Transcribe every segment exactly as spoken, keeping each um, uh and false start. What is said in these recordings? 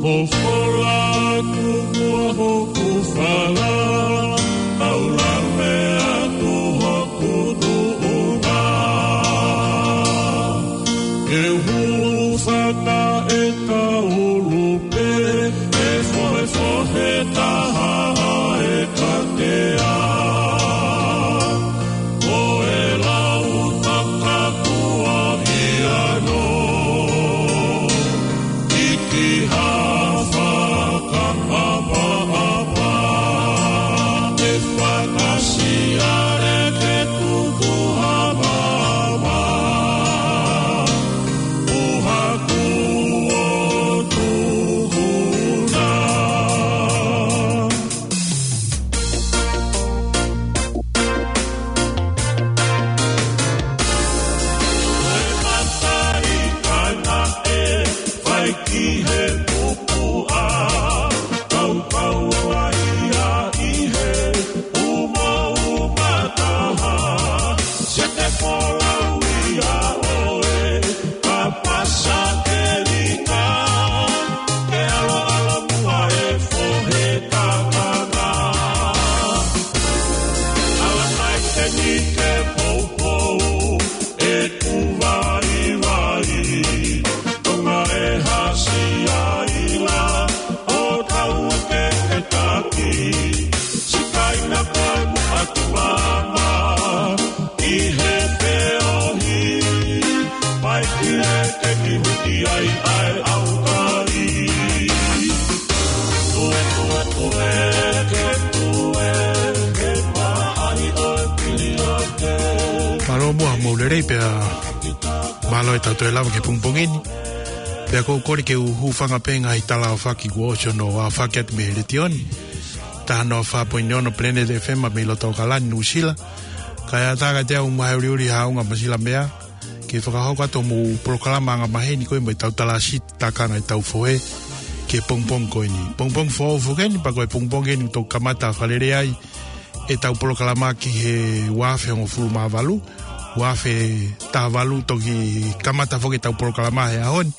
Ko fola atu ʻa hoku fala, ʻaulame atu hoku tuʻunga. Ke hūfanga ʻe ka ʻulu pē, ʻe fohefohe taha ʻa e katea. Ko e lau takakua ia no, ʻi ki ha fakaʻapaʻapa, ʻe fakasiale ke tuku ha mama, ʻo haku ʻo tuhuna. Ko e matai kaina ʻe fai ki he pupuʻa, kaukau ai ia ʻi he umauma taha, se te folau ia ʻoe, ka pasa ke lika, ke ʻaloʻalo muʻa e fohe takanga. Ala mai ke ni ke poupou, ʻeku vaivai, tonga e hasi ai la, ʻo tau ke ke taki, sikaina koe mo atu mama, ʻi he feohi, mai ki he ke ki huti ai ʻa e ʻaukai. Tue, tue, tue, ke tue, ke paʻari ʻo e pili ake. Mālō muʻa hoʻomou lelei pea mālō e tau toe lava ki he pongipongi ni. Pea ʻoku ou kole ke u hūfanga pē he ngaahi tala aofaki kuo ʻosi hono aofaki atu mei he letiō ni. Taha noa fā poini ono Planet F M mei loto ʻAokalani, Nuʻusila. Kae ʻatā kiate au mo e ʻuliʻuli haʻunga Masila Mea ke fakahoko atu hoʻomou polokalama angamaheni ko ē mo e tau talāsiti takanga e tau fohe ki he pongipongi ko eni. Pongipongi foʻou foki eni, pea ko e pongipongi eni ʻoku toki kamata fakalele ai e tau polokalama ki he ua afe hongofulu mā valu, ua afe taha valu toki kamata foki e tau polokalama he ʻaho ni.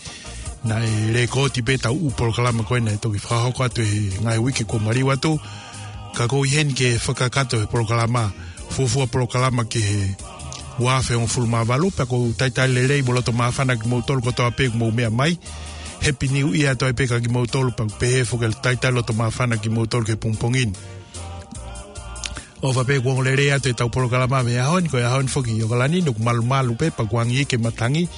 Naʻe lēkooti pē tau ʻū polokalama ko ē naʻe toki fakahoko atu he ngaahi uike kuo maliu atu. Ka ʻoku ou ʻi heni ke fakakakato he polokalama, fuofua polokalama ki he ua afe hongofulu mā valu, pea ʻoku ou talitali lelei mo loto māfana kimoutolu kotoa pē ʻoku mou meʻa mai. Happy New Year atu ai pē kia kimoutolu, pea ʻoku pehē foki e talitali loto māfana kimoutolu ki he pongipongi ni. ʻOfa pē kuo ongo lelei atu e tau polokalama mei he ʻaho ni, ko e ʻaho ni foki ʻi ʻAokalani ni ʻoku malumalu pē, pea ʻoku angi ke matangi,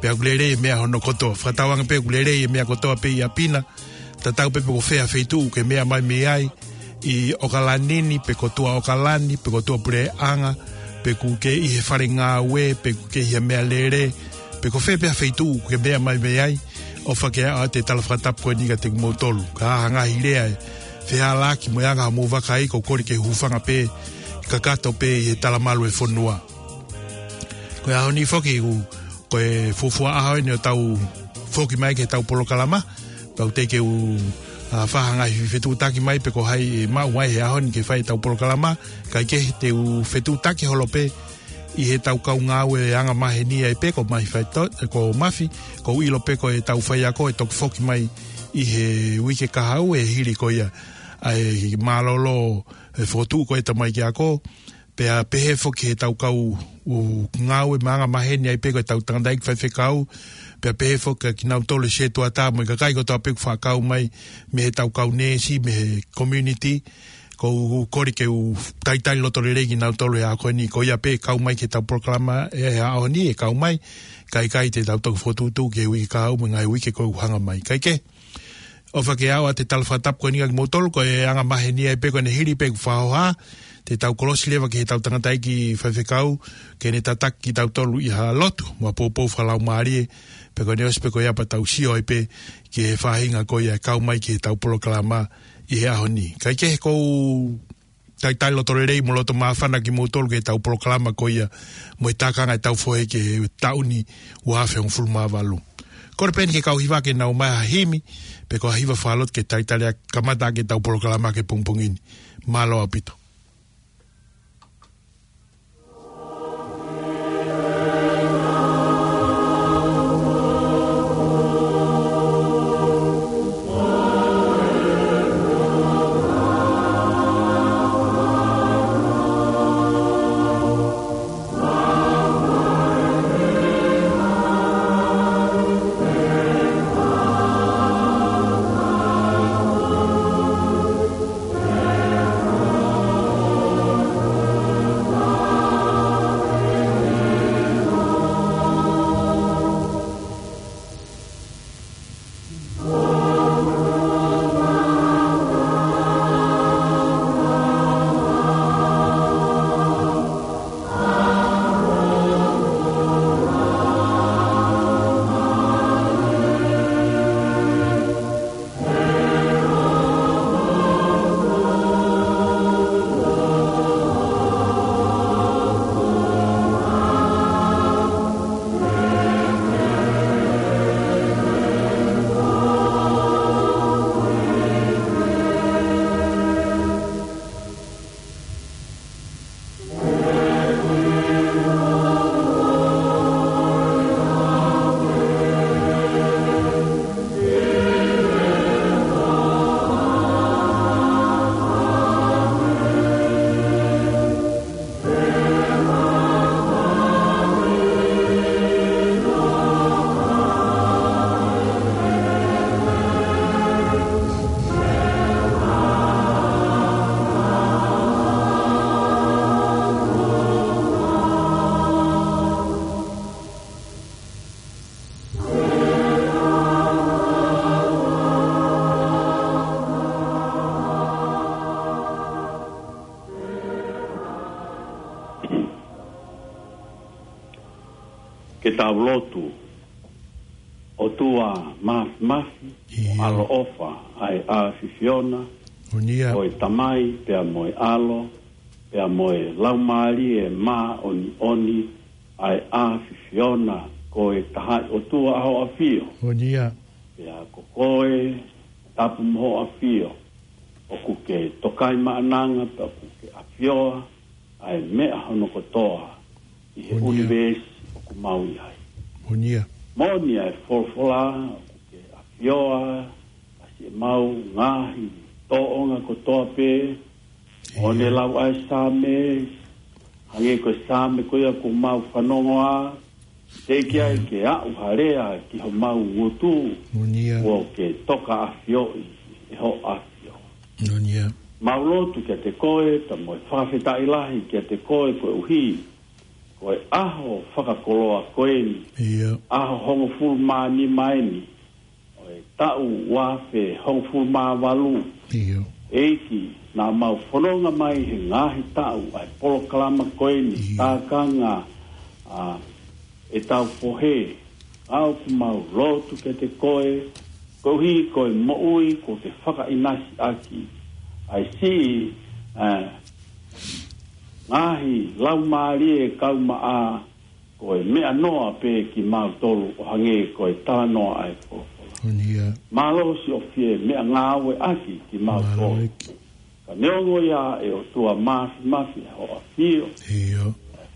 pea ʻoku lelei e meʻa hono kotoa. Fakatauange pē ʻoku lelei e meʻa kotoa pē ʻi ʻapi na, tatau pē pe ko fē ha feituʻu ʻoku ke meʻa mai mei ai, ʻi ʻAokalani ni, pe ko tuʻa ʻAokalani, pe ko tuʻapuleʻanga, pe ʻoku ke ʻi he fale ngāue, pe ʻoku ke ʻi ha meʻalele, pe ko fē pē ha feituʻu ʻoku ke meʻa mai mei ai, ʻofa ke ʻoatu e tala fakatapu ko eni kiate kimoutolu. Ka ʻi ai ha ngaahi lea ʻe fehālaaki mo e anga hoʻomou vakai, ʻoku ou kole ke hūfanga pē, kakato pē ʻi he talamalu e fonua. Ko e ʻaho ni foki ʻoku, ko e fuofua ʻaho eni ʻo tau foki mai ki he tau polokalama, pea ʻoku teʻeki ke u, ʻa, fai ha ngaahi fetuʻutaki mai pe ko hai ʻe maʻu mai he ʻaho ni ke fai e tau polokalama, kae kehe te u fetuʻutaki holo pē ʻi he tau kau ngāue angamaheni ai pē ko Mafi Faito-, ko Mafi, ʻoku ou ʻilo pē ko e tau faiako ʻe toki foki mai ʻi he uike kahaʻu ʻe hili ko ia ʻa e mālōlō e fokotuʻu ko ē ʻa e tamaiki ako, pea pehē foki he tau kau ʻū ngāue angamaheni ai pē ko e tau tangataʻeiki faifekau, pea pehē foki kia kinautolu e setuata mo e kakai kotoa pē ʻoku fakakau mai mei he tau kau neesi, mei he community, ʻoku ou kole ke u talitali loto lelei kinautolu he ʻaho ko eni, ko ia pē ʻe kau mai ki he tau polokalama he ʻaho ni ʻe kau mai, kae ʻikai te tau toki fokotuʻutuʻu ki he uike kahaʻu mo e ngaahi uike ko ē ʻoku hanga mai. Kae kehe, ʻofa ke ʻoatu e tala fakatapu ko eni kiate kimoutolu, ko e angamaheni ai pē ko eni hili pē ʻeku fakahoha, te tau kolosi leva ki he tau tangataʻeiki faifekau, ke ne tataki kitautolu ʻi ha lotu mo ha poupou fakalaumālie, pea ko ʻene ʻosi pē ko ia pea tau sio ai pē ki he faʻahinga ko ia ʻe kau mai ki he tau polokalama ʻi he ʻaho ni. Kae kehe, ʻoku ou talitali loto lelei mo loto māfana kimoutolu ki he tau polokalama ko ia mo e takanga e tau fohe ki he taʻu ni ua afe hongofulu mā valu. Kole pē eni ki he kau hiva ke nau ʻomai ha himi, pe ko ha hiva fakalotu ke talitali ʻaki e kamata ʻaki e tau polokalama ki he pongipongi ni. Mālō ʻaupito. Tau lotu. ʻOtua Māfimafi, ʻIo. ʻAlo ʻofa ʻa e ʻAfiona, Ko ia. ko e Tamai pea mo e ʻAlo, pea mo e Laumālie Māʻoniʻoni ʻa e ʻAfiona, ko e Tahaʻi ʻOtua ʻa hoʻo ʻAfio. Ko ia. Pea ko koe, tapu mo hoʻo ʻAfio, ʻoku ke tokaimaʻananga pea ʻoku ke ʻafioa ʻa e meʻa hono kotoa ʻi he Ko ia. ʻunivēsi ʻoku mau ʻi ai. Ko ia. Moʻoni ʻa e folofola ʻoku ke ʻafioa ʻa siʻemau ngaahi tōʻonga kotoa pē, ʻIo. ʻo ne lau ʻa e Saame, hangē ko e Saame ko ia kuo mau fanongo ā, teʻeki ai Mm. ke aʻu ha lea ki homau ngutu, Moʻoni ia. kuo ke toka ʻafioʻi ʻe hoʻo ʻAfio. Moʻoni ia. Mau lotu kiate koe, pea mo e fakafetaʻi lahi kiate koe koeʻuhi ko e ʻaho fakakoloa ko eni, ʻIo. ʻaho hongofulu mā nima eni, ʻo e taʻu ua afe hongofulu mā valu. ʻIo. ʻEiki, naʻa mau fononga mai he ngaahi taʻu ʻa e polokalama ko eni, ʻIo. tākanga, ʻa, ʻetau fohe, ʻa ʻoku mau lotu kiate koe, koeʻuhi ko e moʻui kuo ke fakaʻinasi ʻaki, ʻa e siʻi, ʻa, ngaahi laumālie kaumaʻa, ko e meʻanoa pē kimautolu ʻo hangē ko e talanoa ʻa e folofola. Moʻoni ia. Mālō siʻo fie meʻangāueʻaki kimautolu. Mālō ʻEiki. Ka neongo ia ʻe ʻOtua Māfimafi ʻa hoʻo ʻAfio. ʻIo.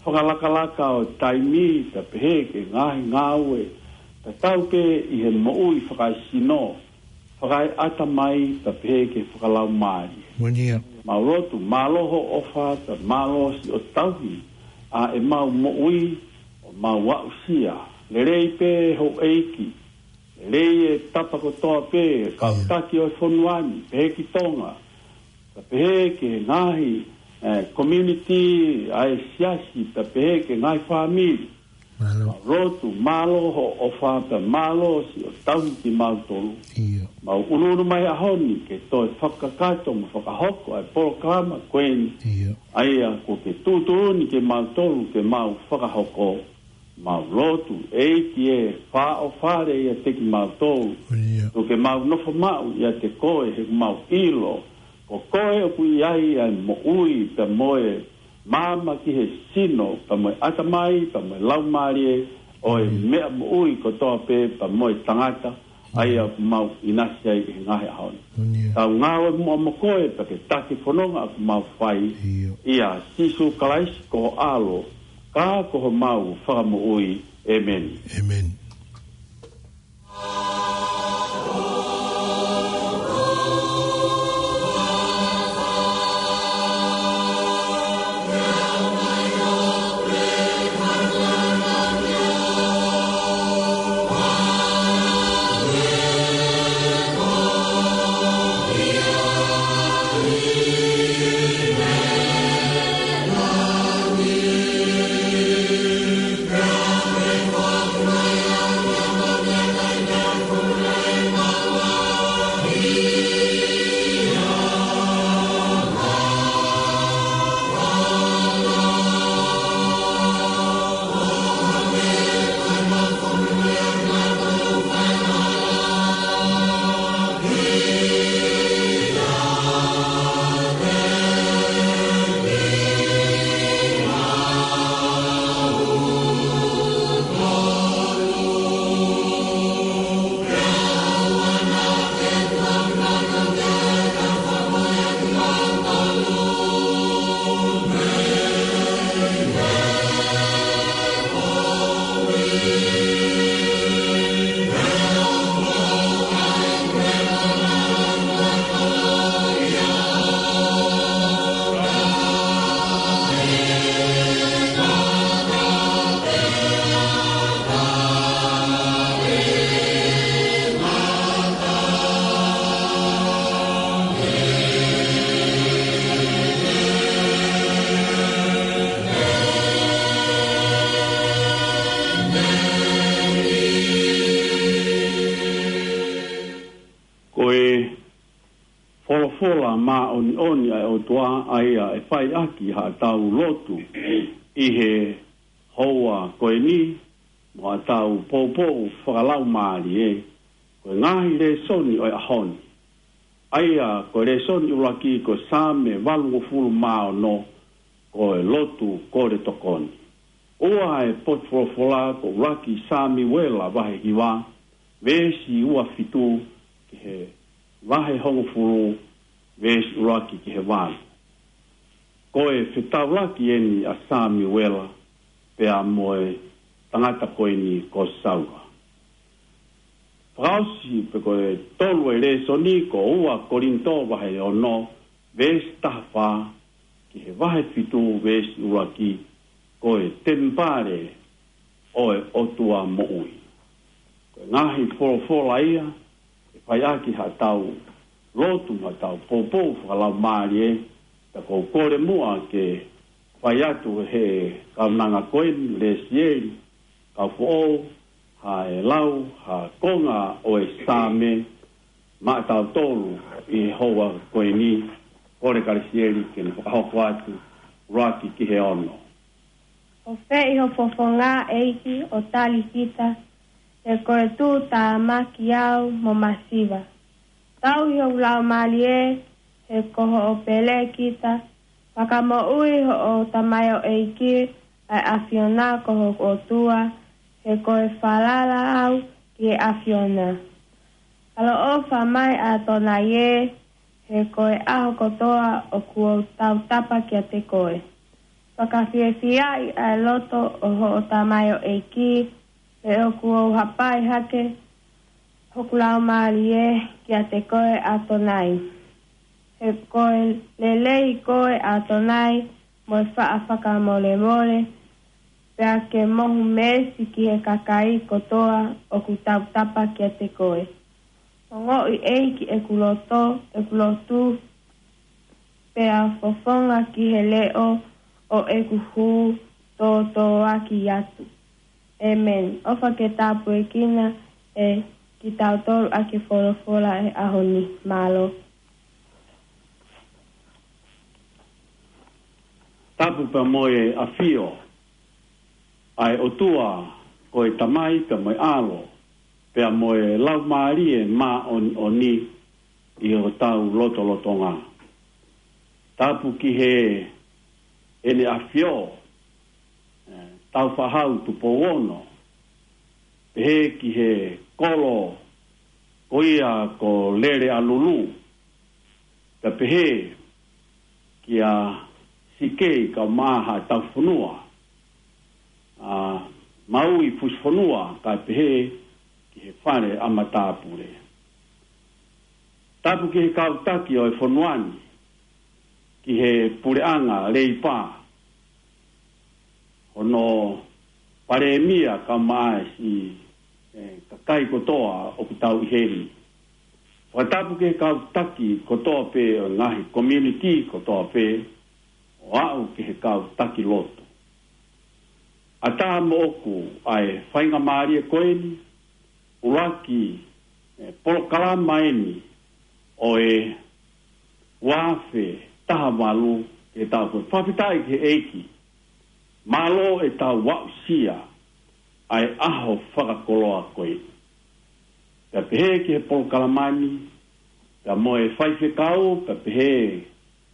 Fakalakalaka ʻo taimi, pea pehē ki he ngaahi ngāue, tatau pē ʻi he moʻui fakaesino, fakaeʻatamai, pea pehē ki he fakalaumālie. Moʻoni ia. Mau lotu, mālō hoʻo ʻofa, pea mālō siʻo tauhi ʻa ʻemau moʻui, ʻo mau aʻusia. Lelei pē houʻeiki, lelei e tapa kotoa pē, kau ʻIo. taki ʻo e fonua ni, pehē ki Tonga, pea pehē ki he ngaahi, eh, community ʻa e siasi, pea pehē ki he ngaahi fāmili. Mālō. Mau lotu, mālō hoʻo ʻofa pea mālō siʻo tauhi kimautolu. ʻIo. Mau ʻunuʻunu mai he ʻaho ni ke toe fakakakato mo fakahoko ʻa e polokalama ko eni. ʻIo. ʻA ia kuo ke tuʻutuʻuni kimautolu ke mau fakahoko. Mau lotu, ʻEiki ē, fāʻofale ʻiate kimautolu. ʻIo. Tuku ke mau nofo maʻu ʻiate koe he mau ʻilo ko koe ʻoku ʻi ai ʻa e moʻui pea mo e maama ki he sino, pea mo e ʻatamai, pea mo e laumālie, ʻo e Mm. meʻa moʻui kotoa pē, pea mo e tangata, ʻa ia Mm. ʻoku mau ʻinasi ai he ngaahi ʻaho ni. Moʻoni ia. Tau ngāue muʻa mo koe, pea ke taki fononga ʻoku mau fai, ʻIo. ʻia Sīsū Kalaisi ko ho ʻAlo, ka ko homau Fakamoʻui. ʻĒmeni. ʻĒmeni. Ko e folofola māʻoniʻoni ʻa e ʻOtua ʻa ia ʻe fai ʻaki haʻatau lotu ʻi he houa ko eni, mo ʻetau poupou fakalaumālie, ko e ngaahi lēsoni ʻo e ʻaho ni. ʻA ia, ko e lēsoni ʻuluaki ko e Saame valungofulu mā ono, ko e lotu kole tokoni. ʻOku ʻi he potu folofola ko ʻuluaki Samiuela vahe hiva, veesi ua fitu ki he vahe hongofulu, veesi ʻuluaki ki he valu. Ko e fetaulaki eni ʻa Samiuela pea mo e tangata ko eni ko Saula. Fakaʻosi pē ko e tolu e lēsoni ko ua Kolinitō vahe ono, veesi taha fā ki he vahe fitu, veesi ʻuluaki, ko e temipale ʻo e ʻOtua moʻui. Ko e ngaahi folofola ia ʻe fai ʻaki haʻatau lotu mo ʻetau poupou fakalaumālie, pea ʻoku ou kole muʻa ke fai atu ʻe he kaunanga ko eni, Lesieli Kaufoʻou, ha ʻe lau ha konga ʻo e Saame maʻatautolu ʻi he houa ko eni. Kole kia Lesieli ke ne fakahoko atu, ʻuluaki ki he ono. ʻOfeʻi ho fofonga, ʻEiki, ʻo tali kita, he ko e tuʻutāmaki au mo masiva. Tauhi hoku laumālie, he ko hoʻo pele kita. Fakamoʻui hoʻo tamaioʻeiki, ʻa e ʻAfiona ko hoku ʻOtua, he ko e falala au ki he ʻAfiona. ʻAloʻofa mai ʻAtonai ē, he ko e ʻaho kotoa ʻoku ou tautapa kiate koe. Fakafiefiaʻi ʻa e loto ʻo hoʻo tamaioʻeiki, he ʻoku ou hapai hake hoku laumālie kiate koe ʻAtonai. He ko e lelei koe ʻAtonai, mo e faʻa fakamolemole, pea ke mohu meesi ki he kakai kotoa ʻoku tautapa kiate koe. Ongoʻi ʻEiki ʻeku loto, ʻeku lotu, pea fofonga ki he leʻo ʻo ʻeku hū tōtōaki atu. ʻĒmeni. ʻOfa ke tāpuekina ʻe kitautolu ʻaki e folofola ʻo e ʻaho ni. Mālō. Tapu pea mo e ʻafio ʻa e ʻOtua, ko e Tamai pea mo e ʻAlo, pea mo e Laumālie Māʻoniʻoni ʻi hotau lotolotonga. Tapu ki heʻene ʻafio, ē, Tāufaʻāhau Tupou Ono, pehē ki he kolo ko ia ko Leleʻalulu, pea pehē kia Sikei Kaumaʻa Haʻataufonua, ʻa Maui Fusifonua, kae pehē ki he fale ʻa matāpule. Tapu ki he kau taki ʻo e fonua ni, ki he puleʻanga Leipa, hono palēmia kae ʻumaʻā e siʻi, ē, kakai kotoa ʻoku tau ʻi heni. Fakatapu ki he kau taki kotoa pē ʻo e ngaahi community kotoa pē, ʻo aʻu ki he kau taki lotu. ʻAtā moʻoku ʻa e faingamālie ko eni, ʻuluaki, ē, polokalama eni ʻo e ua afe taha valu ke tau ko. Fakafetaʻi ki he ʻEiki, mālō ʻetau aʻusia ʻa e ʻaho fakakoloa ko eni. Pea pehē ki he polokalama ni, pea mo e faifekau, pea pehē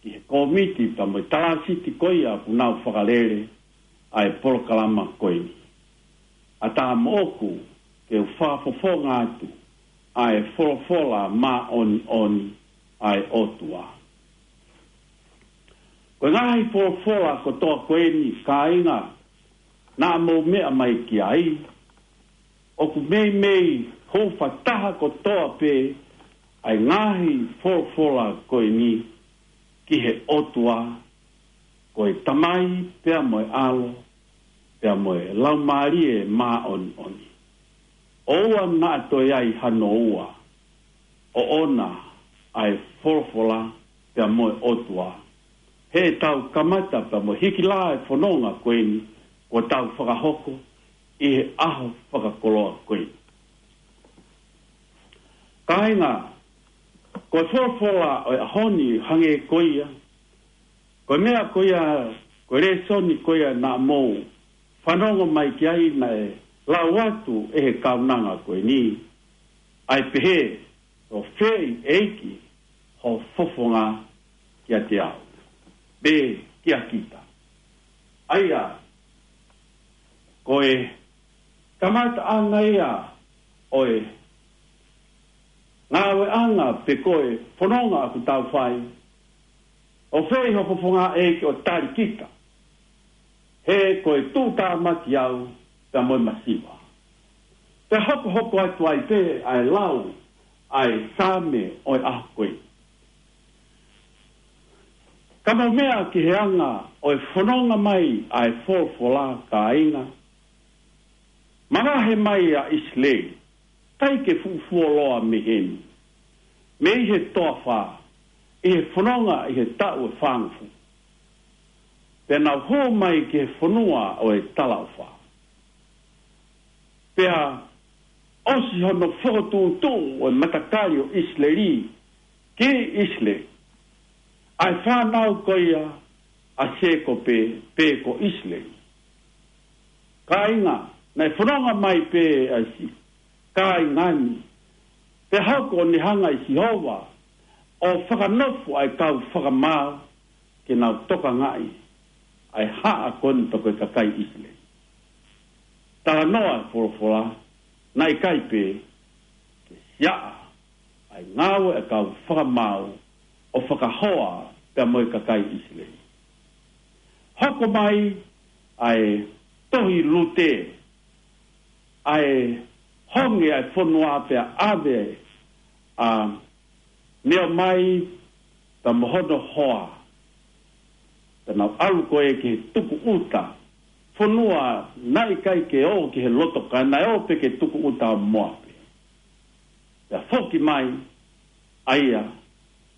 ki he kōmiti, pea mo e talāsiti ko ia ʻoku nau fakalele ʻa e polokalama ko eni. ʻAtā moʻoku ke u fakafofonga atu ʻa e folofola māʻoniʻoni ʻa e ʻOtua. Ko e ngaahi folofola kotoa ko eni, kāinga, naʻa mou meʻa mai ki ai, ʻoku meimei hūfataha kotoa pē ʻa e ngaahi folofola ko eni ki he ʻOtua, ko e Tamai pea mo e ʻAlo, pea mo e Laumālie Māʻoniʻoni. ʻOua naʻa toe ʻi ai hano ua ʻoʻona ʻa e folofola pea mo e ʻOtua. Heʻetau kamata pea mo e hiki lā e fononga ko eni kuo tau fakahoko ʻi he ʻaho fakakoloa ko eni. Kāinga, ko e folofola ʻo e ʻaho ni hangē ko ia, ko e meʻa ko ia, ko e lēsoni ko ia naʻa mou fanongo mai ki ai naʻe Lau atu ʻe he kaunanga ko eni, ʻa e pehē, ʻo fēʻi ʻEiki ho fofonga kiate au, pe kia kita. ʻA ia, ko e kamataʻanga ia ʻo e ngāueʻanga pe ko e fononga ʻoku tau fai, ʻo fēʻi ho fofonga ʻEiki ʻo tali kita. He ko e tuʻutāmaki au pea mo e masiva. Pea hokohoko atu ai pē ʻa e lau ʻa e Saame ʻo e ʻaho ko ē. Ka mou meʻa ki he anga ʻo e fononga mai ʻa e folofola, kāinga, mavahe mai ʻa ʻIsileli, ʻikai ke fuʻu fuoloa mei heni, mei he toafa, ʻi he fononga ʻi he taʻu ʻe fāngofulu. Pea nau hū mai ki he fonua ʻo e talaʻofa. Pea ʻosi hono fokotuʻutuʻu ʻo e matakali ʻo ʻIsileli ki ʻIsileli, ʻa e fānau ko ia ʻa Sēkope pe ko ʻIsileli. Kāinga, naʻe fononga mai pē ʻa e siʻi kāinga ni, pea hoko ʻo ne hanga ʻe Sihova ʻo fakanofo ʻa e kau fakamaau ke nau tokangaʻi ʻa e haʻa ko eni pe ko e kakai ʻIsileli. Talanoa e folofola, naʻe ʻikai pē ke siaʻa ʻa e ngāue ʻa e kau fakamaau ʻo fakahoa pea mo e kakai ʻIsileli. Hoko mai ʻa e tohi Lute, ʻa e honge ʻa e fonua pea ʻave ʻa Neomai pea mo hono hoa. Pea nau ʻalu ko ē ki he tukuʻuta, fonua naʻe ʻikai ke ō ki he loto, ka naʻe ō pē ki he tukuʻuta ʻo Moape. Pea foki mai, ʻa ia,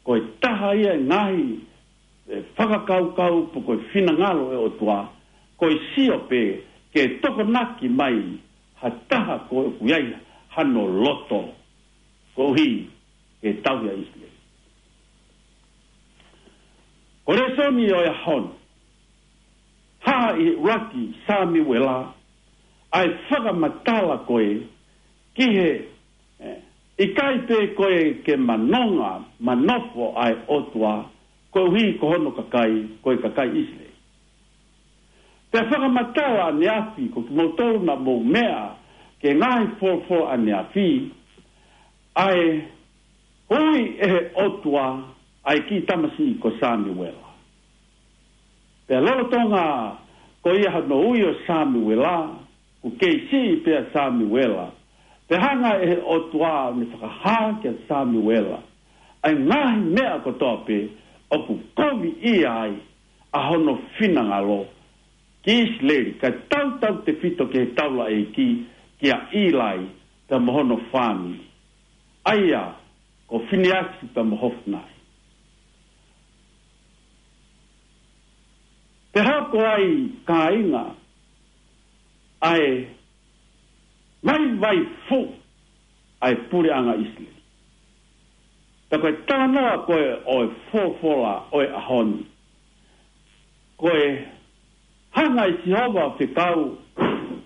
ko e taha ia e ngaahi, e, fakakaukau pe ko e finangalo ʻo e ʻOtua, ko e sio pē ke tokonaki mai ha taha ko ē ʻoku ʻi ai hano loto, koeʻuhi ke tauhi ʻa ʻIsileli. Ko e lēsoni ʻo e ʻaho ni, hā ʻi he ʻuluaki Samiuela ʻa e fakamatala ko ē ki he, e, ʻikai pē ko ē ke manonga, manofo ʻa e ʻOtua, koeʻuhi ko hono kakai, ko e kakai ʻIsileli. Pea fakamatala ʻaneafi, ko kimoutolu naʻa mou meʻa ki he ngaahi folofola ʻaneafi, ʻa e ui ʻe he ʻOtua ʻa e kiʻi tamasiʻi ko Samiuela. Pea lolotonga ko ia hono ui ʻo Samiuela, ʻoku kei siʻi pē ʻa Samiuela. Pea hanga ʻe he ʻOtua ʻo ne fakahā kia Samiuela ʻa e ngaahi meʻa kotoa pē ʻoku koviʻia ai ʻa hono finangalo ki ʻIsileli, kae tautautefito ki he taulaʻeiki, kia ʻIlai pea mo hono fāmili, ʻa ia ko Finiasi pea mo Hofinae. Pea hoko ai, kāinga, ʻa e vaivai fuʻu ʻa e puleʻanga ʻIsileli. Pea ko e talanoa ko ē ʻo e folofola ʻo e ʻaho ni, ko e hanga ʻe Sihova ʻo fekau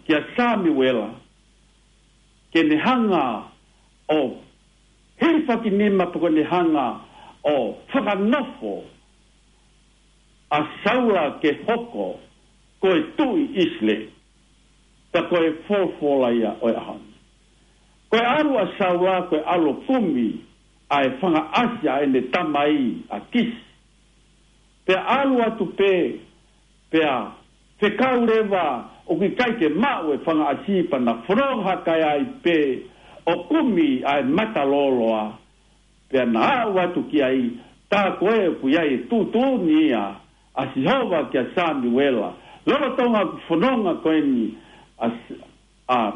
kia Samiuela ke ne hanga ʻo hilifakinima pe ko ʻene hanga ʻo fakanofo ʻa Saula ke hoko ko e tuʻi ʻIsileli. Pea ko e folofola ia ʻo e ʻaho ni. Ko e ʻalu ʻa Saula, ko e ʻalu ʻo kumi ʻa e fanga ʻasi ʻa ʻene tamai ʻa Kisi. Pea ʻalu atu pē, pea fekau leva ʻoku ʻikai ke maʻu e fanga ʻasi, pea na fononga hake ai pē ʻo kumi ʻa e mata lōloa. Pea na aʻu atu ki ai, tā ko ē ʻoku ʻi ai e tuʻutuʻuni ia ʻa Sihova kia Samiuela. Lolotonga ʻoku fononga ko eni ʻa S-, ʻa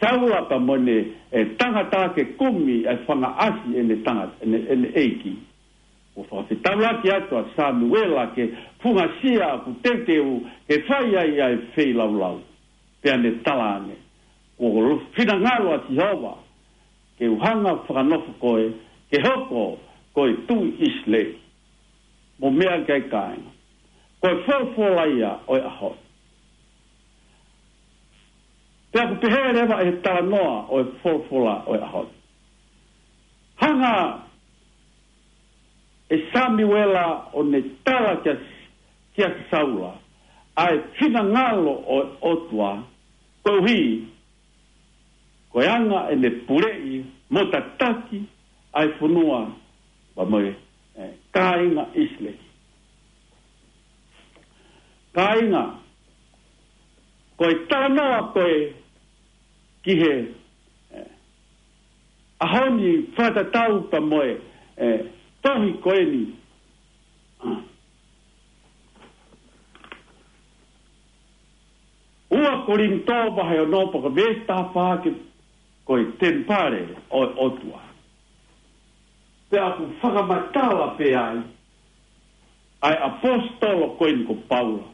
Saula pea mo ʻene, e, tangata ke kumi e fanga ʻasi ʻene tanga-, ʻene, ʻene ʻeiki, ʻoku fakafetaulaki atu ʻa Samiuela ke fungasia ʻoku teuteu ke fai ai ʻa e feilaulau. Pea ne tala ange, kuo finangalo ʻa Sihova ke u hanga ʻo fakanofo koe ke hoko ko e tuʻi ʻIsileli. Mou meʻa ki ai, kāinga. Ko e folofola ia ʻo e ʻaho ni. Pea ʻoku pehē leva ʻe he talanoa ʻo e folofola ʻo e ʻaho ni. Hanga ʻe Samiuela ʻo ne tala kia, kia Saula ʻa e finangalo ʻo e ʻOtua, koeʻuhi ko e anga ʻene puleʻi mo tataki ʻa e fonua, pea mo e, ē, kāinga ʻIsileli. Kāinga, ko e talanoa ko ē ki he, ē, ʻaho ni fakatatau pea mo e, ē, tohi ko eni. Ua Kolinitō vahe ono pea ko e veesi taha fā ki he, ko e temipale ʻo e ʻOtua. Pea ʻoku fakamatala pē ai ʻa e ʻaposetolo ko eni ko Paula.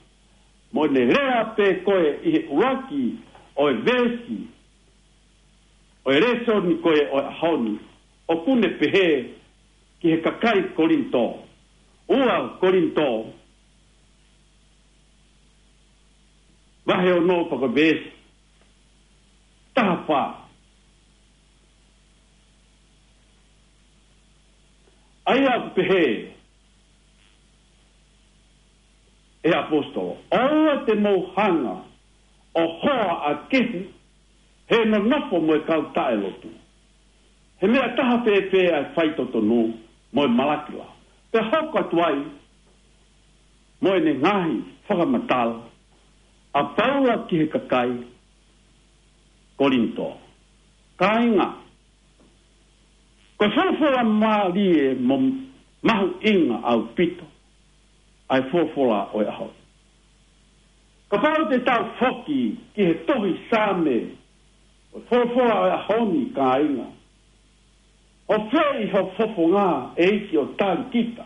Mo ʻene lea pē ko ē ʻi he ʻuluaki ʻo e veesi ʻo e lēsoni ko ē ʻo e ʻaho ni, ʻoku ne pehē ki he kakai Kolinitō. Ua Kolinitō, vahe ono pea ko e veesi taha fā. ʻA ia ʻoku pehē ʻe he ʻaposetolo, ʻoua te mou hanga ʻo hoa ʻa kehe he nonofo mo e kau taʻelotu. He meʻa taha pē pē ʻa e faitotonu mo e malaki lao. Pea hoko atu ai mo ʻene ngaahi fakamatala ʻa Paula ki he kakai Kolinitō. Kāinga, ko e folofola mālie mo mahuʻinga ʻaupito ʻa e folofola ʻo e ʻaho ni. Kapau te tau foki ki he tohi Saame, ʻo e folofola ʻo e ʻaho ni, kāinga, ʻoku fēʻi ho fofonga, ʻEiki, ʻo tali kita,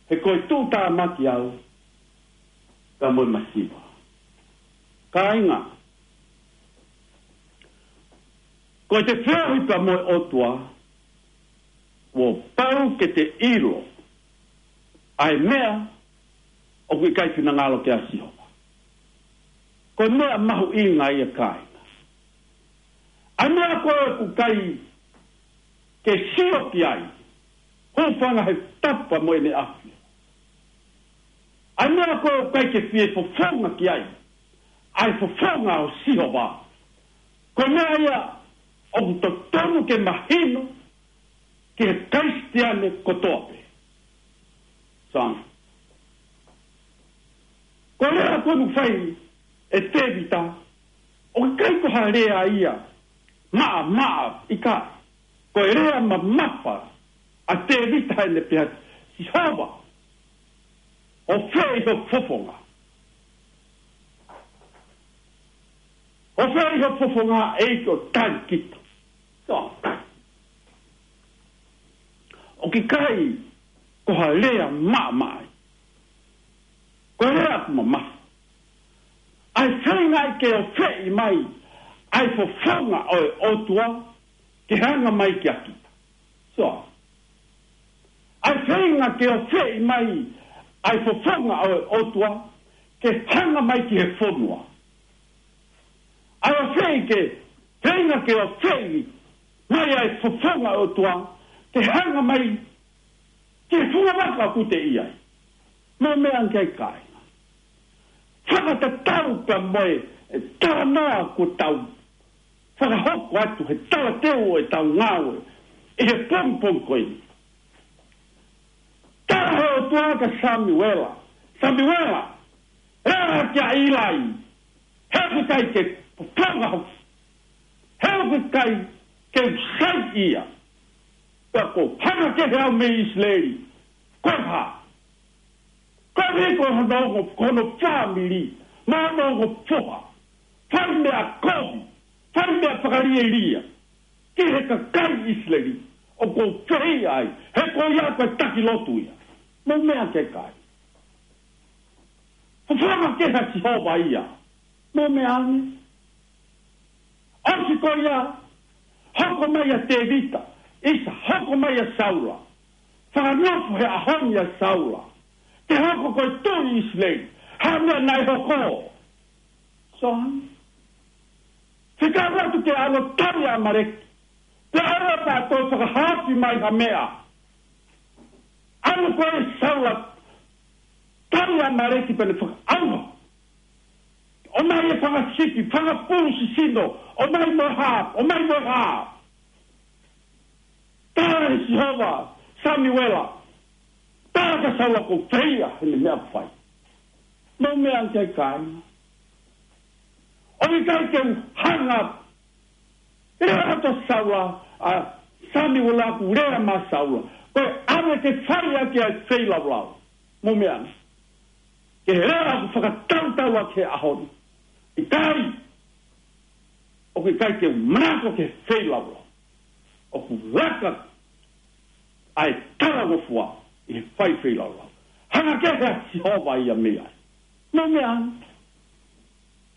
he ko e tuʻutāmaki au, ka mo e masiva. Kāinga, ko e te feohi pea mo e ʻOtua, kuo pau ke te ʻilo ʻa e meʻa ʻoku ʻikai finangalo ki ai ʻa Sihova. Ko e meʻa mahuʻinga ia, kāinga. ʻA e meʻa ko ē ʻoku ʻikai ke sio ki ai, hūfanga he tapa mo ʻene ʻafio. ʻA e meʻa ko ē ʻoku ʻikai ke fie fofonga ki ai ʻa e fofonga ʻo Sihova. Ko e meʻa ia ʻoku totonu ke mahino ki he Kalisitiane kotoa pē. Song. Ko e lea ko ē naʻe fai ʻe Tēvita, ʻoku ʻikai ko ha lea ia maʻamaʻa, ʻikai. Ko e lea mamafa ʻa Tēvita heʻene pehē, Sihova, ʻoku fēʻi ho fofonga. ʻOku fēʻi ho fofonga, ʻEiki, ʻo tali kita. Song. ʻOku ʻikai ko ha lea maʻamaʻa ia. Ko e lea ʻoku mamafa. ʻA e feinga ia ke ofeʻi mai ʻa e fofonga ʻo e ʻOtua ke hanga mai kia kita. Song. ʻA e feinga ke ofeʻi mai ʻa e fofonga ʻo e ʻOtua ke hanga mai ki he fonua. ʻA e ofeʻi ke, feinga ke ofeʻi mai ʻa e fofonga ʻo e ʻOtua ke hanga mai ki he funga vaka ʻoku te ʻi ai. Mou meʻa ange ki ai, kāinga. Fakatatau pea mo e, e talanoa kuo tau fakahoko atu he talateu ʻo ʻetau ngāue ʻi he pongipongi ko eni. Tala ʻe he ʻOtua kia Samiuela, Samiuela, lea kia ʻIlai, he ʻoku ʻikai ke fofonga hoku, he ʻoku ʻikai ke u sai ia. Pea ko e hanga kehe au mei ʻIsileli, ko e hā? Koeʻuhi ko hono ongo, ko hono fāmili, mo hono ongo foha, fai meʻa kovi, fai meʻa fakalielia ki he kakai ʻIsileli, ʻoku ou fehiʻa ai, he ko ia ko e taki lotu ia. Mou meʻa ange ki ai, kāinga. Fofonga kehe ʻa Sihova ia. Mou meʻa ange. ʻOsi ko ia, hoko mai ʻa Tēvita, ʻisa, hoko mai ʻa Saula. Fakanofo he ʻaho ni ʻa Saula ke hoko ko e tuʻi ʻIsileli. Hā e meʻa naʻe hoko? Song. Fekau atu ke ʻalu ʻo tali ʻa ʻAmaleki. Pea ʻalu ʻo toe fakahaofi mai ha meʻa. ʻAlu ko ē ʻa Saula, tali ʻa ʻAmaleki pea ne fakaʻauha. ʻOmai e fanga sipi, fanga pulu sisino, ʻomai mo e hā, ʻomai mo e hā. Tala ʻe Sihova, Samiuela, tala kia Saula kuo u feia heʻene meʻa kuo fai. Mou meʻa ange ki ai kāinga. ʻOku ʻikai ke u hanga ʻo lea atu ʻa Saula, ʻa Samiuela kuo lea mai ʻa Saula. Ko e ʻave ke fai ʻaki ʻa e feilaulau. Mou meʻa ange. Ke he lea ʻoku fakatautau ʻaki he ʻaho ni. ʻIkai, ʻoku ʻikai ke u manako ki he feilaulau. ʻOku laka ʻa e talangofua ʻi he fai feilaulau. Hanga kehe ʻa Sihova ia mei ai. Mou meʻa ange.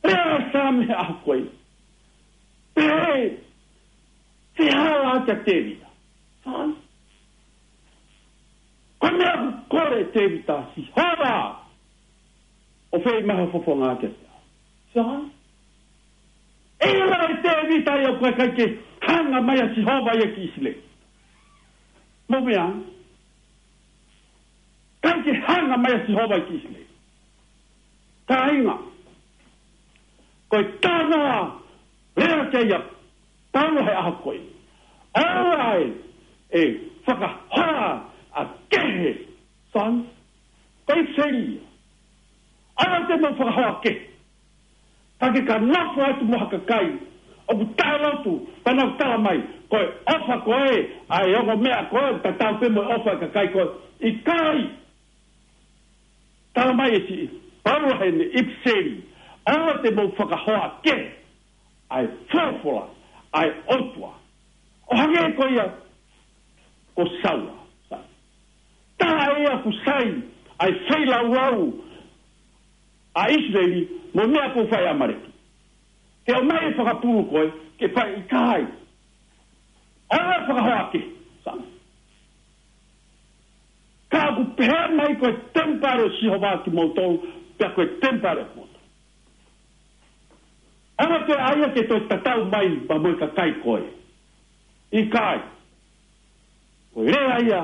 Lea ʻa Saame he ʻaho ko ē. Pehē, fehālaaki ʻa Tēvita. Sai. Ko e meʻa ʻoku kole ʻe Tēvita, Sihova, ʻo fai mai ha fofonga kiate au. Sai. ʻE ʻilo ʻe Tēvita ia ʻoku ʻikai ke hanga mai ʻa Sihova ia ki ʻIsileli. Mou meʻa ange. ʻIkai ke hanga mai ʻa Sihova ki ʻIsileli. Kāinga, ko e talanoa lea ki ai ʻa Paula he ʻaho ko ē. ʻOua ʻe, ʻe fakahoa ʻa kehe, sai. Ko e fili. ʻOua te mou fakahoa kehe. Ka ke ka nofo atu mo ha kakai ʻoku taʻelotu, pea nau tala mai, ko e ʻofa ko ē, ʻa e ongo meʻa ko ē, tatau pē mo e ʻofa ʻa e kakai ko ē. ʻIkai. Tala mai ʻe siʻi Paula heʻene ʻipiseli, ʻoua te mou fakahoa kehe ʻa e folofola ʻa e ʻOtua. ʻO hangē ko ia ko Saula. Taha ia ʻoku sai ʻa e feilaulau ʻa ʻIsileli mo e meʻa kuo fai ʻe ʻAmaleki. Ke ʻomai e fanga pulu ko ē, ke fai, ʻikai. ʻOua ʻe fakahoa kehe. Sai. Ka ʻoku pehē mai ko e temipale ʻo Sihova kimoutolu, pea ko e temipale ʻo kimoutolu. ʻOua te ʻai ia ke toe tatau mai pea mo e kakai ko ē. ʻIkai. Ko e lea ia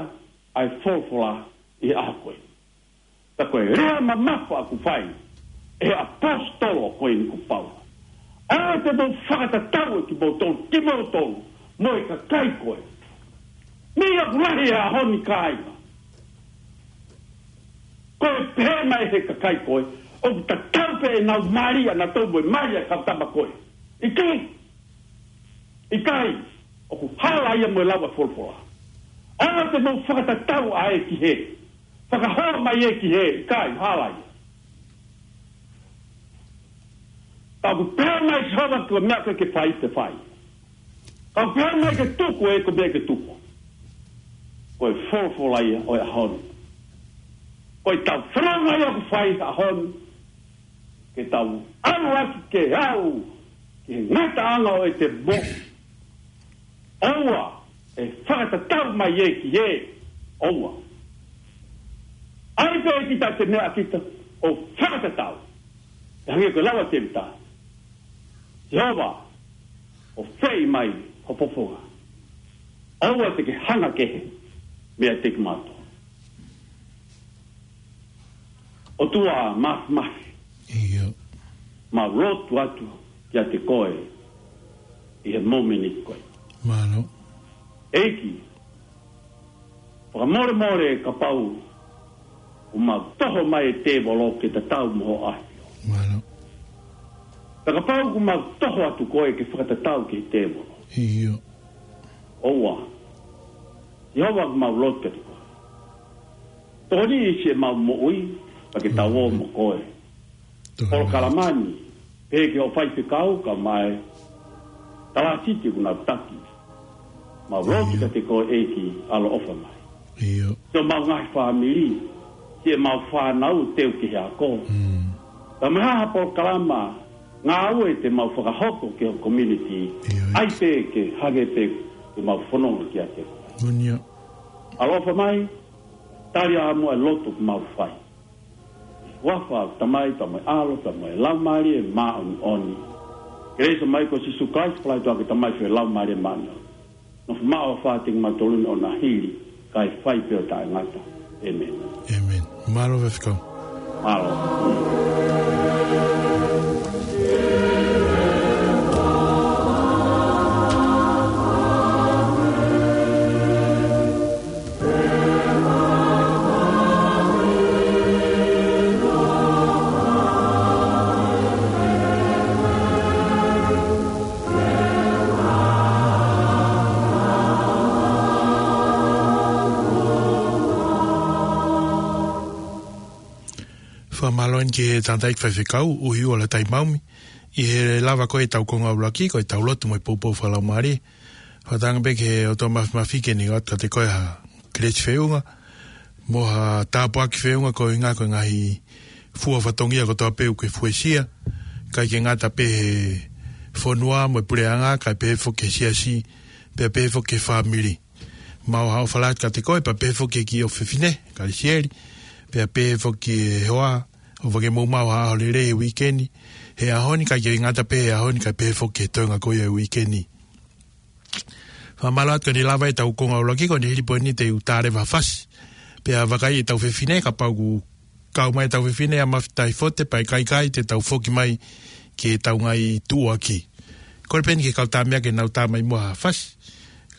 ʻa e folofola ʻi he ʻaho ko ē. Ka ko e lea mamafa ʻoku fai ʻe he ʻaposetolo ko eni ko Paula. ʻOua te mou fakatatau ʻe kimoutolu, kimoutolu mo e kakai ko ē. Meʻa ʻoku lahi he ʻaho ni, kāinga. Ko e pehē mai ʻe he kakai ko ē, ʻoku tatau pē ʻenau mali ʻanautolu mo e mali ʻa e kau tama ko ē. ʻIkai. ʻIkai. ʻOku hala ia mo e lau ʻa e folofola. ʻOua te mou fakatatau ʻa ē ki hē. Fakahoa mai ē ki hē. ʻIkai, hala ia. Ka ʻoku pehē mai ʻe Sihova ko e meʻa ke ke fai, te fai. Ka ʻoku pehē mai ke tuku ē, ko e meʻa ke tuku. Ko e folofola ia ʻo e ʻaho ni. Ko ʻetau fononga ia ʻoku fai he ʻaho ni. Ke tau ʻalu ʻaki ke aʻu ki he ngataʻanga ʻo ʻete moʻui. ʻOua ʻe fakatatau mai ē ki hē. ʻOua. ʻAi pē kita ʻete meʻa kita ʻo fakatatau. ʻE hangē ko e lau ʻa Tēvita. Sihova, ʻo fai mai ho fofonga. ʻOua te ke hanga kehe meiate kimautolu. ʻOtua Māfimafi. ʻIo. Mau lotu atu kiate koe ʻi he momeniti ko ē. Mālō. ʻEiki, fakamolemole kapau ʻoku mau toho mai e tēvolo ke tatau mo hoʻo ʻAfio. Mālō. Pea kapau ʻoku mau toho atu koe ke fakatatau ki he tēvolo. ʻIo. ʻOua. Sihova, ʻoku mau lotu kiate koe. Tokoniʻi siʻemau moʻui, pea ke tau ō mo koe. Tokoniʻi. Polokalama ni, pehē ki hoʻo faifekau, kae ʻumaʻā e talāsiti ʻoku nau taki. Mau lotu kiate koe ʻEiki, ʻaloʻofa mai. ʻIo. Siʻemau ngaahi fāmili, siʻemau fānau teu ki he ako. Mm. Ka mahalo ha polokalama, ngāue te mau fakahoko ki ho community, ʻio, ʻai pē ke hangē pē ko ʻemau fononga kiate koe. Moʻoni ia. ʻAloʻofa mai, tali ā muʻa e lotu ʻoku mau fai. Huafa ʻo e Tamai, pea mo e ʻAlo, pea mo e Laumālie Māʻoniʻoni. Kelesi mai ko Sīsū Kalaisi, palai toa ke tamai fe lau mare mana. Nofo maʻu ʻa fāteng matolun ʻo na hili, kae fai pē ʻo taʻengata. ʻĒmeni. ʻĒmeni. Mālō Faifekau. Mālō. Fakamālō eni ki he tangataʻeiki faifekau, ʻUhiua Lātai Maumi, ʻi he lava ko ē ʻetau konga ʻuluaki, ko ʻetau lotu mo e poupou fakalaumālie. Fakatauange pē ki he ʻOtua Māfimafi ke ne ʻoatu kiate koe ha kelesi feʻunga, mo ha tāpuaki feʻunga koeʻuhinga ko e ngaahi fua fatongia kotoa pē ʻoku ke fuesia, ʻikai ke ngata pē he fonua mo e puleʻanga, kae pehē foki ki he siasi, pea pehē foki ki he fāmili. Mau ʻofa lahi atu kiate koe, pea pehē foki ki he ʻofefine, Kalisieli, pea pehē foki ki he hoa, ʻofa ke mou maʻu ha ʻaho lelei he uike ni, he ʻaho ni, ʻikai ke ngata pē he ʻaho ni, kae pehē foki ki he toenga ko ia e uike ni. Fakamālō atu ko eni lava ʻetau konga ʻuluaki, ko eni hili pē eni te u tā leva ha fasi. Pea vakai ʻetau fefine, kapau ʻoku kau mai ʻetau fefine ʻa Mafi Taifote, pea ʻikai, ʻikai te tau foki mai ki heʻetau ngaahi tuʻuaki. Kole pē eni ki he kau tama ke nau tā mai muʻa ha fasi.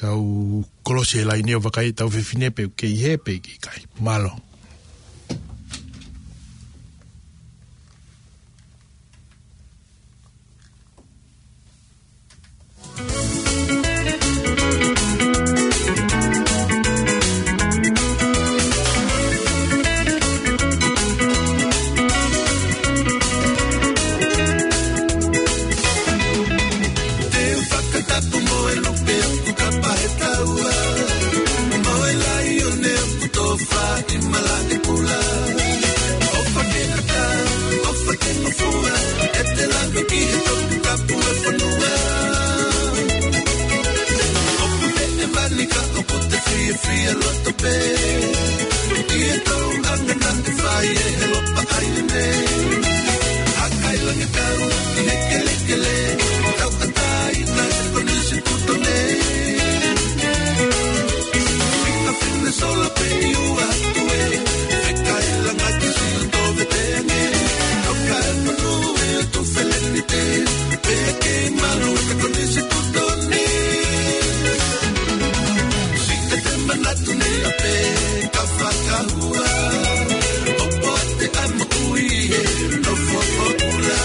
Kau kolosi e laine ʻo vakai ʻetau fefine pe ʻoku kei hē pe ʻikai. Mālō. Te u fakatapu mo e lupe ʻoku kapa he taua, mo e laione ʻoku tofa ʻi malaʻe kula. ʻOfa ke ʻatā, ʻofa ke ngofua, ʻete lave ki he toputapu e fonua. ʻOku te ʻe mani ka ʻoku te fiefia loto pē ʻi he tōʻonga naʻe fai ʻe he lopa ʻaina. Hakailangikau ki he kelekele, tauʻatāina e konisitūtone. Siʻa fine sola pē ʻi ua atu ē, fekailanga ki Siuto Veteange. Toka e fonu e atu felenite, pea ke malu e konisitūtone. Siʻete manatu ni ʻapē ka fakahua, ʻoku te ʻamu ui he nofo ʻo kula.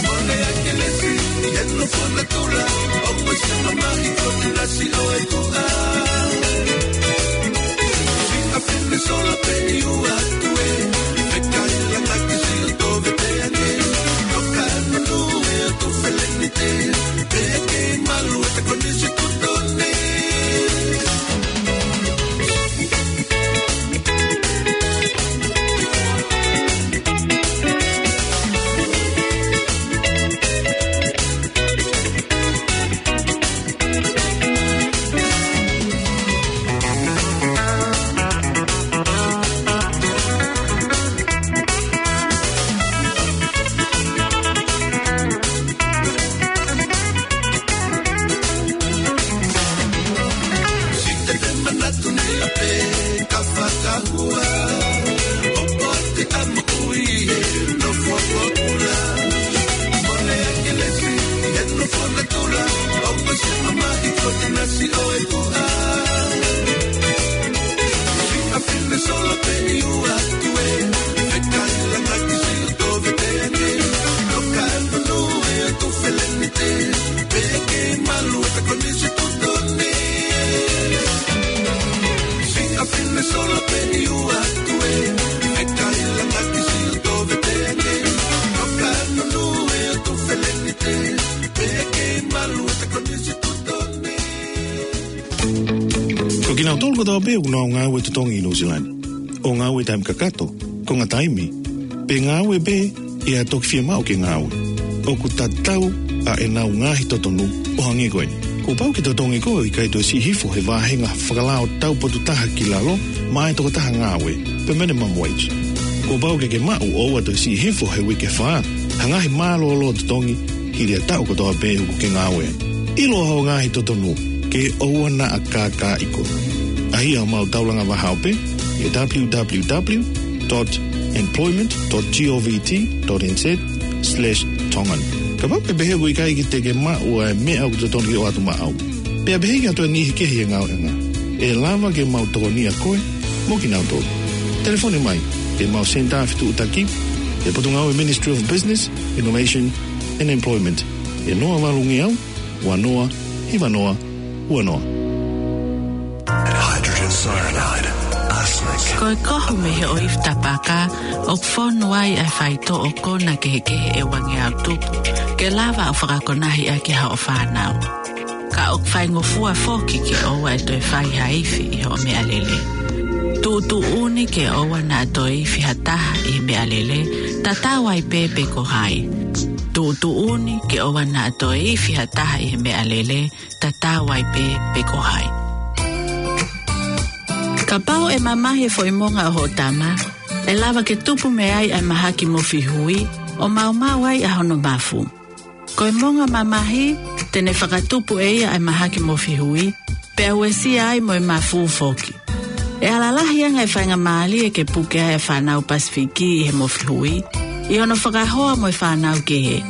Mole a kelesi he nofo natula, ʻoku se mamahi ko te nasi ʻo e kuʻa. Siʻa fine sola pē ʻi ua atu ē, fekailanga ki Siuto Veteange. Toka e fonu e atu felenite, pea ke malu e konisitūtone. Siʻete manatu ni ʻapē ka fakahua, ʻoku te ʻamu ui he nofo ʻo kula. Mole a kelesi he nofo natula, ʻoku se mamahi ko te nasi ʻo e kuʻa. Siʻa fine sola pē ʻi ua atu ē, fekailanga ki Siuto Veteange. Toka e fonu e atu felenite, pea ke malu e konisitūtone. Siʻa fine sola pē ʻi ua atu ē, fekailanga ki Siuto Veteange. Toka e fonu e atu felenite, pea ke malu e konisitūtone. Ko kinautolu kotoa pē ʻoku nau ngāue totongi ʻi Nuʻusila ni, ʻo ngāue taimi kakato, konga taimi, pe ngāue pē ʻi ha toki fiemaʻu ke ngāue, ʻoku tatau ʻa ʻenau ngaahi totonu ʻo hangē ko eni. Kuo pau ke totongi koe ʻo ʻikai toe siʻi hifo he vāhenga fakalao taupotu taha ki lalo maʻa e tokotaha ngāue, permanent minimum wage. Kuo pau ke ke maʻu ʻo ʻoua toe siʻi hifo he uike fā ha ngaahi mālōlō totongi ʻi he taʻu kotoa pē ʻoku ke ngāue. ʻIlo hoʻo ngaahi totonu ke ʻoua naʻa kākaaʻi koe. ʻAi haʻamau taulanga vahaope ʻi he www.employment.govt.nz/tongan. Kapau ʻoku ke pehē ʻoku ʻikai ke te ke maʻu ʻa e meʻa ʻoku totonu ke ʻoatu maʻau, pea pehē ʻoku ʻi ai ha niʻihi kehe he ngāueʻanga, ʻe lava ke mau tokonia koe mo kinautolu. Telefoni mai ki heʻemau senitā fetuʻutaki, ʻi he Potungāue Ministry of Business, Innovation and Employment, ʻi he noa valu ngeau, ua noa, hiva noa, ua noa. Hydrogen cyanide, arsenic. Ko e kohu mei he ʻoifi tapaka, ʻoku fonu ai ʻa e faitoʻo kona kehekehe ʻe ua ngeau tupu, ke lava ʻo fakakonahi ʻaki hoʻo fānau. Ka ʻoku faingofua foki ke ʻoua ʻe toe fai ha ifi ʻi hoʻo meʻalele. Tuʻutuʻuni ke ʻoua naʻa toe ifi ha taha ʻi he meʻalele, tatau ai pē pe ko hai. Tuʻutuʻuni ke ʻoua naʻa toe ifi ha taha ʻi he meʻalele, tatau ai pē pe ko hai. Kapau ʻe mamahi e foʻi monga ʻo hoʻo tama, ʻe lava ke tupu mei ai ʻa e mahaki mofi hui, ʻo maumau ai ʻa hono mafu. Ko e monga mamahi, te ne fakatupu ʻe ia ʻa e mahaki mofi hui, pea uesia ai mo e mafu foki. ʻE ala lahi ange e faingamālie ke puke ai e fānau Pasifiki ʻi he mofi hui, ʻi hono fakahoa mo e fānau kehe.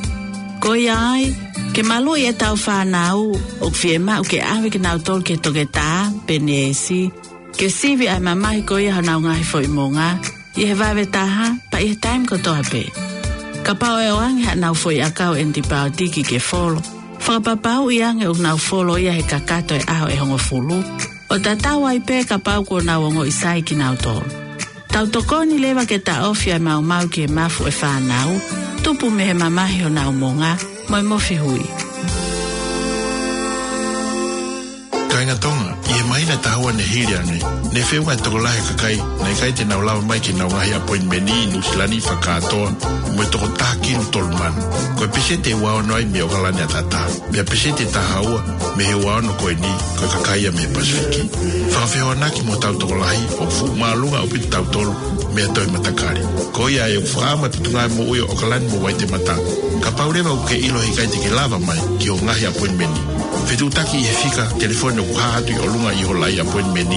Ko ia ai, ke maluʻi ʻetau fānau, ʻoku fiemaʻu ke ʻave kinautolu ki he toketā pe neesi, ke sivi ʻa e mamahi ko ia honau ngaahi foʻi monga, ʻi he vave taha, pea ʻi he taimi kotoa pē. Kapau ʻe ʻoange haʻanau foʻi ʻakau ʻenipaotiki ke folo, fakapapauʻi ange ʻoku nau folo ia he kakato e ʻaho ʻe hongofulu, ʻo tatau ai pē kapau kuo nau ongoʻi sai kinautolu. Tau tokoni leva ke taʻofi ʻa e maumau ki he mafu e fānau, tupu mei he mamahi honau monga, mo e mofi hui. Kāinga Tonga, ʻi he māhina ʻe taha ua ne hili ange, ne feʻunga e tokolahi e kakai naʻe ʻikai te nau lava mai ki heʻenau ngaahi appointment ʻi Nuʻusila ni fakakātoa, mo e toko taha kilu tolu mano. Ko e peseti ʻe ua ono ai mei ʻOkalani ʻAtatā. Pea peseti ʻe taha ua mei he ua ono ko eni, ko e kakai ia mei he Pasifiki. Fakafehoanaki mo hotau tokolahi, ʻoku fuʻu māʻolunga ʻaupito kitautolu mei ha toe matakali. Ko ia ai ʻoku fakaʻamu e Potungāue Moʻui ʻo ʻOkalani mo Uaitemata. Kapau leva ʻoku ke ʻilo he ʻikai te ke lava mai ki hoʻo ngaahi appointment, fetuʻutaki ʻi he fika telefoni ʻoku hā atu ʻi ʻolunga ʻi ho laʻi appointment,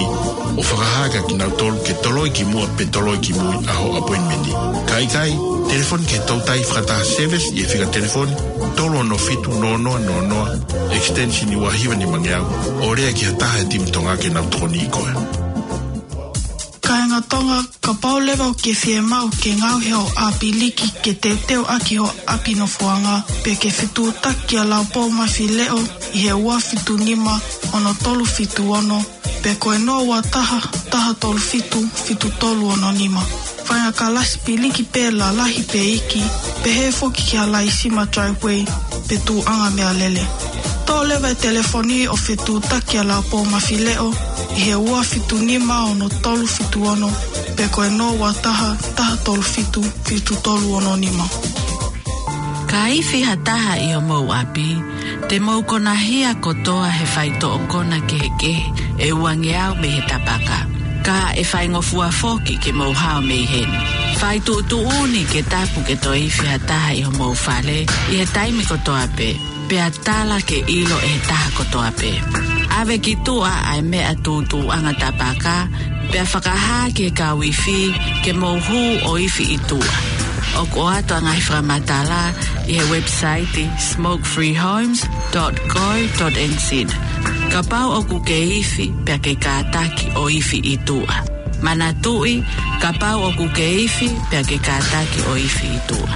ʻo fakahā kia kinautolu ke toloi ki muʻa pe toloi ki mui ʻa hoʻo appointment. Ka ʻikai, telefoni ki he toutai fakataha service ʻi he fika telefoni tolu ono fitu noa noa noa noa, extension ua hiva nima ngeau, ʻo lea ki ha taha he timi Tonga ke nau tokoniʻi koe. Kāinga Tonga, kapau leva ʻoku ke fiemaʻu ke ngaohi hoʻo ʻapiliki ke teuteu ʻaki hoʻo ʻapi nofoʻanga, pe ke fetuʻutaki kia Laupou Mafileʻo ʻi he ua fitu nima ono tolu fitu ono, pe ko e noa ua taha, taha tolu fitu, fitu tolu ono nima. Fai ha kalasi piliki pē lalahi pe iiki, pehē foki ki ha laisima driveway, pe tuʻuʻanga meʻalele. Toʻo leva e telefoni ʻo fetuʻutaki kia Laupou Mafileʻo ʻi he ua fitu nima ono tolu fitu ono, pe ko e noa ua taha, taha tolu fitu, fitu tolu ono nima. Ka ifi ha taha ʻi homou ʻapi, te mou konahia kotoa he faitoʻo kona kehekehe ʻe ua ngeau mei he tapaka. Ka ʻe faingofua foki ke mou hao mei heni. Fai tuʻutuʻuni ke tapu ke toe ifi ha taha ʻi homou fale ʻi he taimi kotoa pē, pea tala ke ʻilo ʻe he taha kotoa pē. ʻAve ki tuʻa ʻa e meʻa tuʻutuʻuʻanga tapaka, pea fakahā ki he kau ifi ke mou hū ʻo ifi ʻi tuʻa. ʻOku ʻoatu ʻa e ngaahi fakamatala ʻi he website smoke free homes dot co dot N Z. Kapau ʻoku ke ifi, pea ke kātaki ʻo ifi ʻi tuʻa. Manatuʻi, kapau ʻoku ke ifi, pea ke kātaki ʻo ifi ʻi tuʻa.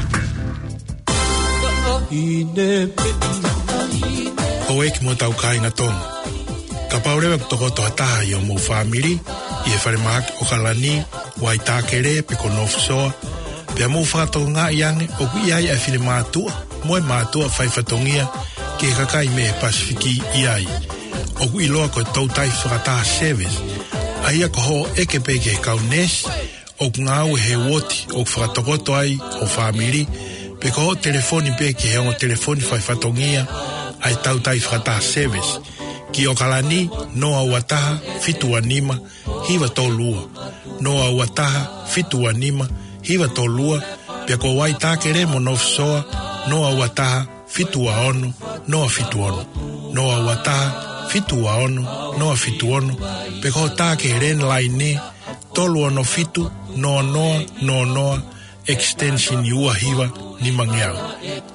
Houʻeiki mo hotau kāinga Tonga. Kapau leva ʻoku tokoto ha taha ʻi homou fāmili ʻi he falemahaki ʻOkalani, Waitākele pe ko North Shore, pea mou fakatokangaʻi ange ʻoku ʻi ai ʻa e finemātuʻa mo e mātuʻa faifatongia ki he kakai mei he Pasifiki ʻi ai, ʻoku ʻiloa ko e toutai fakataha service, ʻa ia ko hoʻo ʻeke pē ki he kau neesi ʻoku ngāue he uooti ʻoku fakatokoto ai ho fāmili, pe ko hoʻo telefoni pē ki he ongo telefoni faifatongia ʻa e toutai fakataha service, ki ʻOkalani, noa ua taha, fitu ua nima, hiva tolu ua, noa ua taha, fitu ua nima, hiva tolu ua, pea ko Waitākele mo North Shore, noa ua taha, fitu ua ono, noa fitu ono. Noa ua taha, fitu ua ono, noa fitu ono. Pe ko hoʻo tā ki he landline, tolu ono fitu, noa noa noa noa, extension ua hiva nimangeau.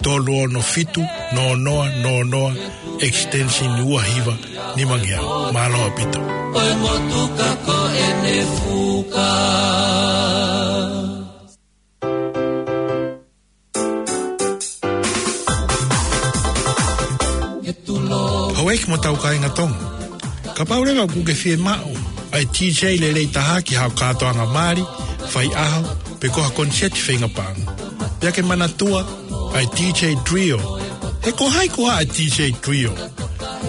Tolu ono fitu, noa noa noa noa, extension ua hiva nimangeau. Mālō ʻaupito. ʻO e motuka ko ʻene fuka. Houʻeiki mo hotau kāinga Tonga. Kapau leva ʻoku ke fiemaʻu ʻa e DJ lelei taha ki haʻo kātoanga mali, faiʻaho, pe ko ha koniseti feinga paʻanga. Pea ke manatua ʻa e DJ Trio. He ko hai koā ʻa e DJ Trio?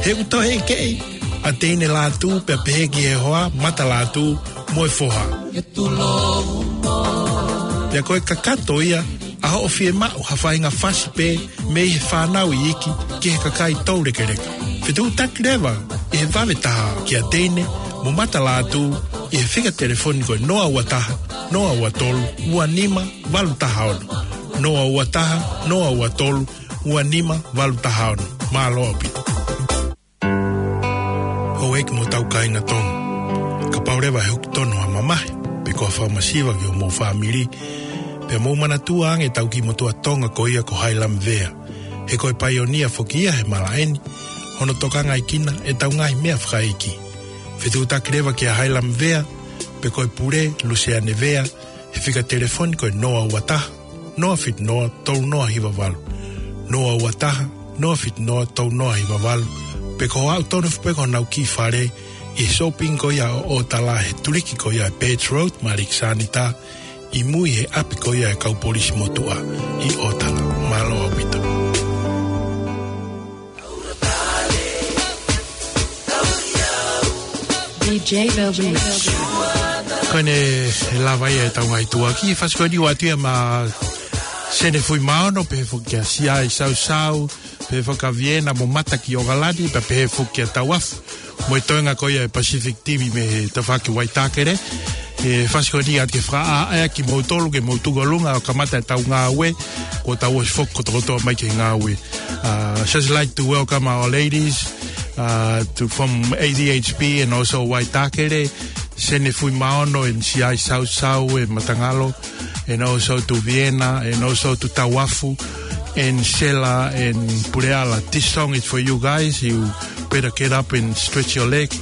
He ʻoku toe ʻi ai ʻa Teine Lātū pea pehē ki he hoa, Mata Lātū mo e foha. Pea ko e kakato ia ʻa hoʻo fiemaʻu ha faʻahinga fasi pē mei he fānau iiki ki he kakai toulekeleka. Fetuʻutaki leva ʻi he vave taha kia Teine mo Mata Lātū ʻi he fika telefoni ko e noa ua taha, noa ua tolu, ua nima valu taha ono. Noa ua taha, noa ua tolu, ua nima valu taha ono. Mālō ʻaupito. Houʻeiki mo hotau kāinga Tonga. Kapau leva ʻe hoko tonu ha mamahi, pe ko ha fakamasiva ki homou fāmili, pea mou manatua ange ʻetau kiʻi motuʻa Tonga ko ia ko Hailamvea. He ko e paionia foki ia he malaʻe ni, hono tokangaʻi kinaua ʻetau ngaahi meʻa fakaʻeiki. Fetuʻutaki leva kia Hailamvea, pe ko e pule, Luseane Vea, he fika telefoni ko e noa ua taha, noa fitu noa, tolu noa hiva valu. Noa ua taha, noa fitu noa, tolu noa hiva valu. Pe ko hoʻo aʻu tonu foki pē ki honau kiʻi fale ʻi he shopping ko ia ʻo ʻOtala he tuliki ko ia ʻa e Birch Road, Malik Sanita, ʻi mui he ʻapi ko ia ʻa e kau polisi motuʻa ʻi ʻOtala. Mālō ʻaupito. D J Melvin. Ko ʻene lava ia ʻetau ngaahi tuʻa ki he fasi ko eni ʻoku ʻoatu ia maʻa Sene Fuimaono, pehē foki kia Siaʻi Sausau, pehē foki kia Viena mo Mata ki ʻOkalani, pea pehē foki kia Tauafu. Mo e toenga ko ia ʻa e Pacific T V mei he tafaʻaki Waitakere. ʻE fasi ko eni ʻoatu ke fakaʻaʻea kimoutolu ke mou tuku ʻolunga ʻo kamata ʻetau ngāue, kuo tau ʻosi foki kotokotoa mai ki he ngāue. Uh, just like to welcome our ladies, uh, to, from A D H P and also Waitakere, Sene Fuimaono and Siaʻi Sausau and Matangalo, and also to Viena, and also to Tauafu, and Sela, and Puleala. This song is for you guys. You better get up and stretch your leg.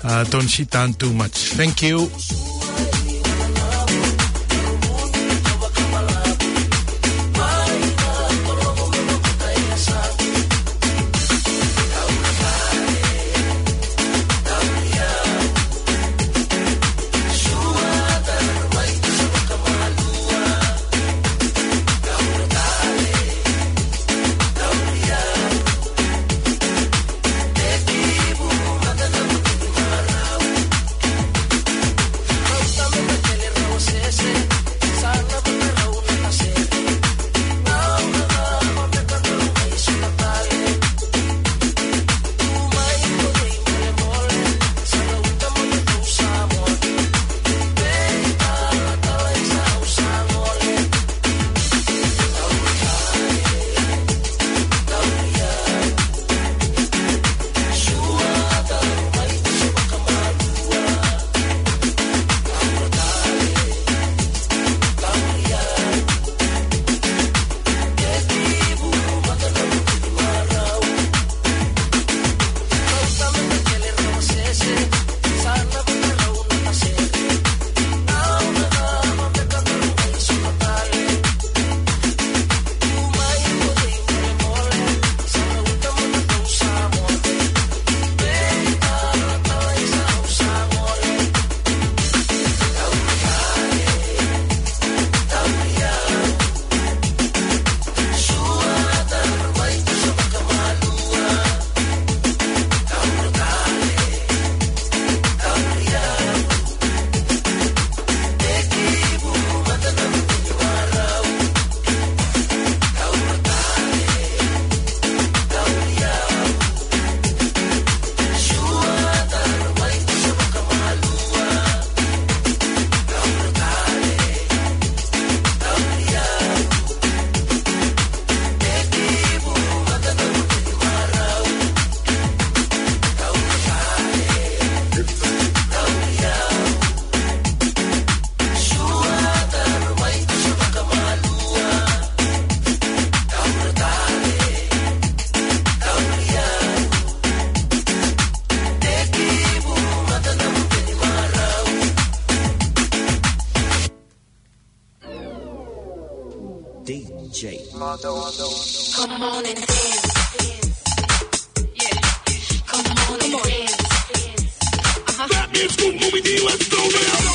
Uh, don't sit down too much. Thank you. J. Come on and dance. Yeah. Come on and dance. Uh-huh. That means move, move it, let's go now.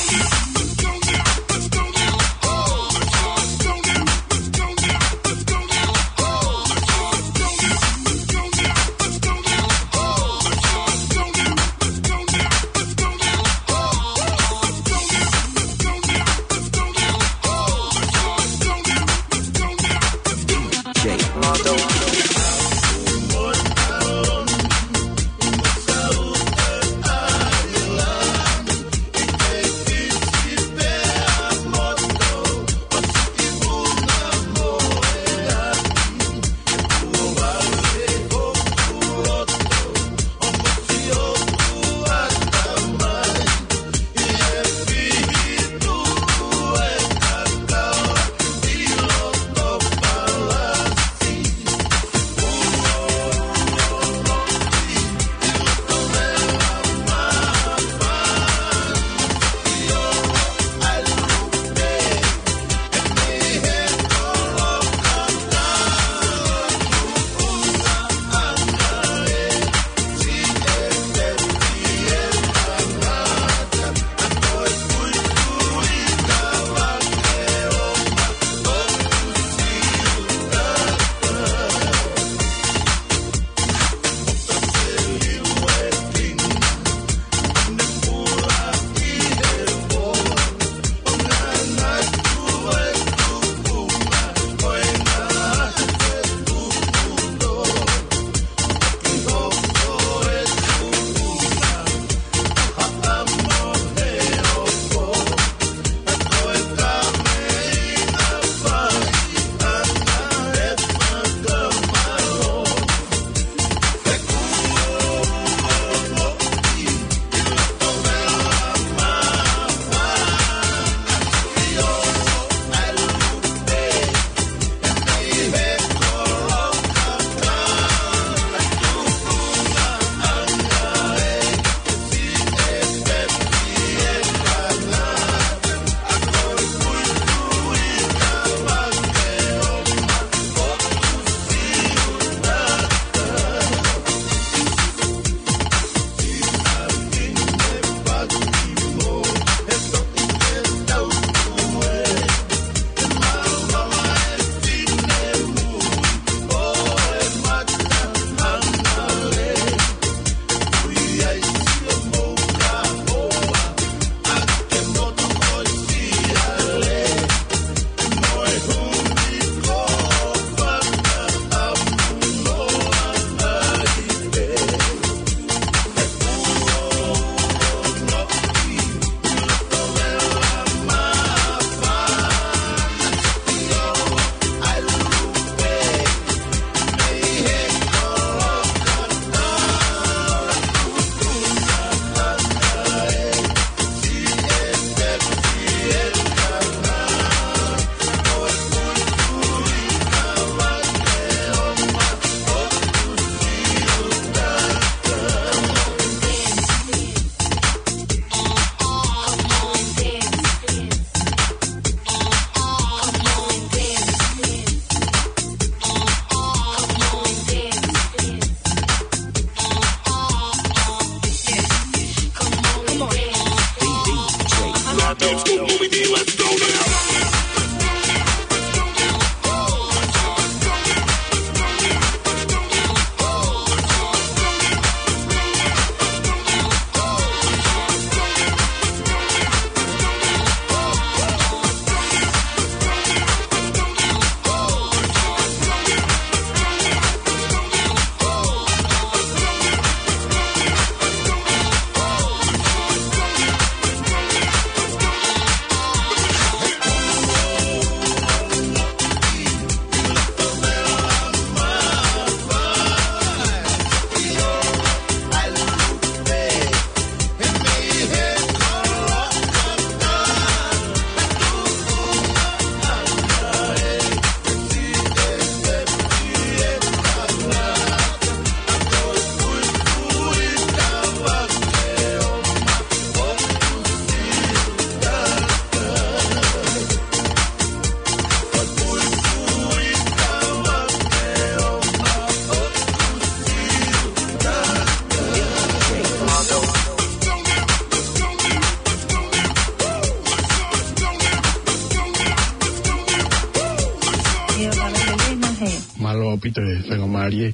ʻaupito e faingamālie.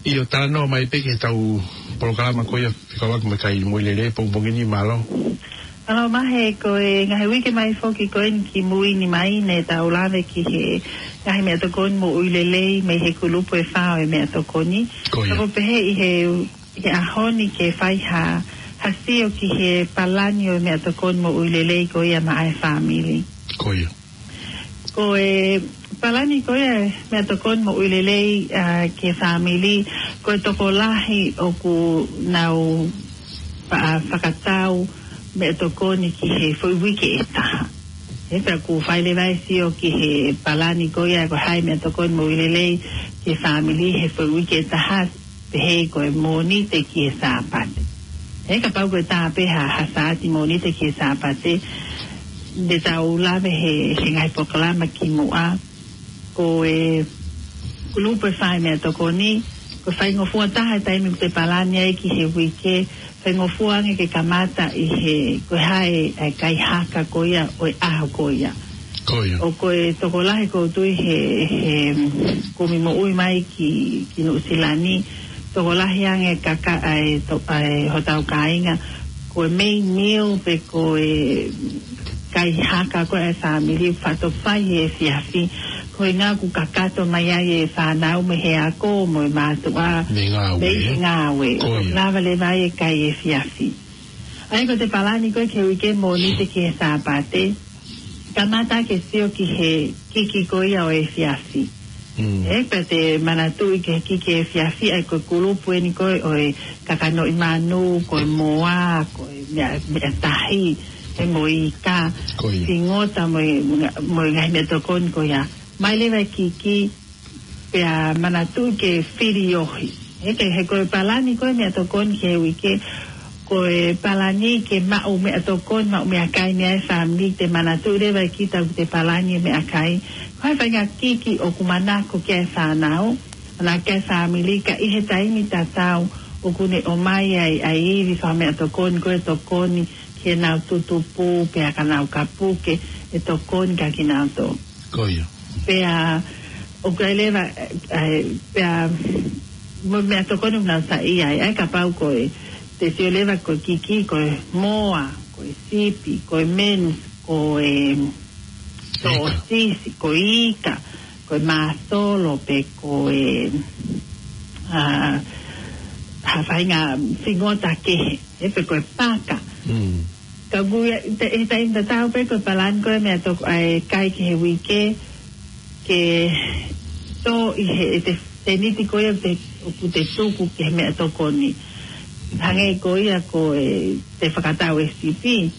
ʻIo, talanoa mai pē ki heʻetau polokalama ko ia fekauʻaki mo e kai moʻui lelei pongipongi ni, mālō. Mālō Mahe, ko e ngaahi uike mai foki ko eni kimui ni mai ne tau lave ki he ngaahi meʻatokoni moʻui lelei mei he kulupu ʻe fā ʻo e meʻatokoni. Ko ia. Ka ko e pehē ʻi he, he ʻaho ni ke fai ha, ha sio ki he palani ʻo e meʻatokoni moʻui lelei ko ia maʻa e fāmili. Ko ia. Ko e palani ko ia e meʻatokoni moʻui lelei, ā, ki he fāmili, ko e tokolahi ʻoku nau fa-, fakatau meʻatokoni ki he foʻi uike ʻe taha. He pea ʻoku fai leva e sio ki he palani ko ia ko e hā e meʻatokoni moʻui lelei ki he fāmili he foʻi uike ʻe taha, pehē ko e Mōnite ki he Sāpate. He kapau ko e tā pē ha, ha Sāti Mōnite ki he Sāpate, ne tau lave he, he ngaahi polokalama kimuʻa, ko e kulupu ʻe fā e meʻatokoni, ko e faingofua taha e taimi ʻoku te palani ai ki he uike, faingofua ange ke kamata ʻi he, ko e hā e, e kai haka ko ia ʻo e ʻaho ko ia. Ko ia. ʻO ko e tokolahi ʻoku ou tui he, he kumi moʻui mai ki, ki Nuʻusila ni, tokolahi ange kaka-, ʻa e to-, ʻa e hotau kāinga, ko e main meal pe ko e kai haka ko e fāmili fato fai he efiafi, ko e ʻuhinga ʻoku kakato mai ai e fānau mei he ako mo e mātuʻa. Mei he ngāue, mei he ē? Ngāue. Ko ia. ʻOku lava leva ai e kai efiafi. ʻA ia ko e palani ko ē ki he uike Mōnite ki he Sāpate, kamata ke sio ki he kiki ko ia ʻo e efiafi. Mm. Ē, pea te manatuʻi ki he kiki efiafi, ʻa ia ko e kulupu eni ko ē ʻo e kakanoʻi manu, ko e moa, ko e meʻa, meʻa tahi, ē, mo e ika, ko ia, fingota mo e, mo e ngaahi meʻatokoni ko ia. Mai leva e kiki, pea manatuʻi ke filiohi. He ke, he ko e palani ko e meʻatokoni ki he uike, ko e palani ke maʻu meʻatokoni, maʻu meʻakai mei he fāmili, te manatuʻi leva ʻe kita ʻoku te palani e meʻakai. Ko e faʻahinga kiki ʻoku manako ki ai e fānau, manako ki ai e fāmili, ka ʻi he taimi tatau ʻoku ne ʻomai ai, ʻa e ivi fakameʻatokoni, ko e tokoni ki heʻenau tutupu, pea ka nau ka puke, ʻe tokoni kia kinautolu. Ko ia. Pea, ʻoku ʻi ai leva, ē, pea, mo e meʻatokoni ʻoku nau saiʻia ai, ʻa ia kapau ko e, te sio leva ko e kiki, ko e moa, ko e sipi, ko e mince, ko e, ika, sōsisi, ko e ika, ko e māsolo, pe ko e, ā, ha faʻahinga fingota kehe, ē, pe ko e paka. Mm. Ka ʻoku ʻi ai, te, he taimi tatau pē ko e palani ko e meʻatokoni, ʻa e kai ki he uike, ke tō ʻi he, ʻe te, seniti ko ia te, ʻoku te tuku ki he meʻatokoni. Hangē ko ia ko e te fakatau e sipi,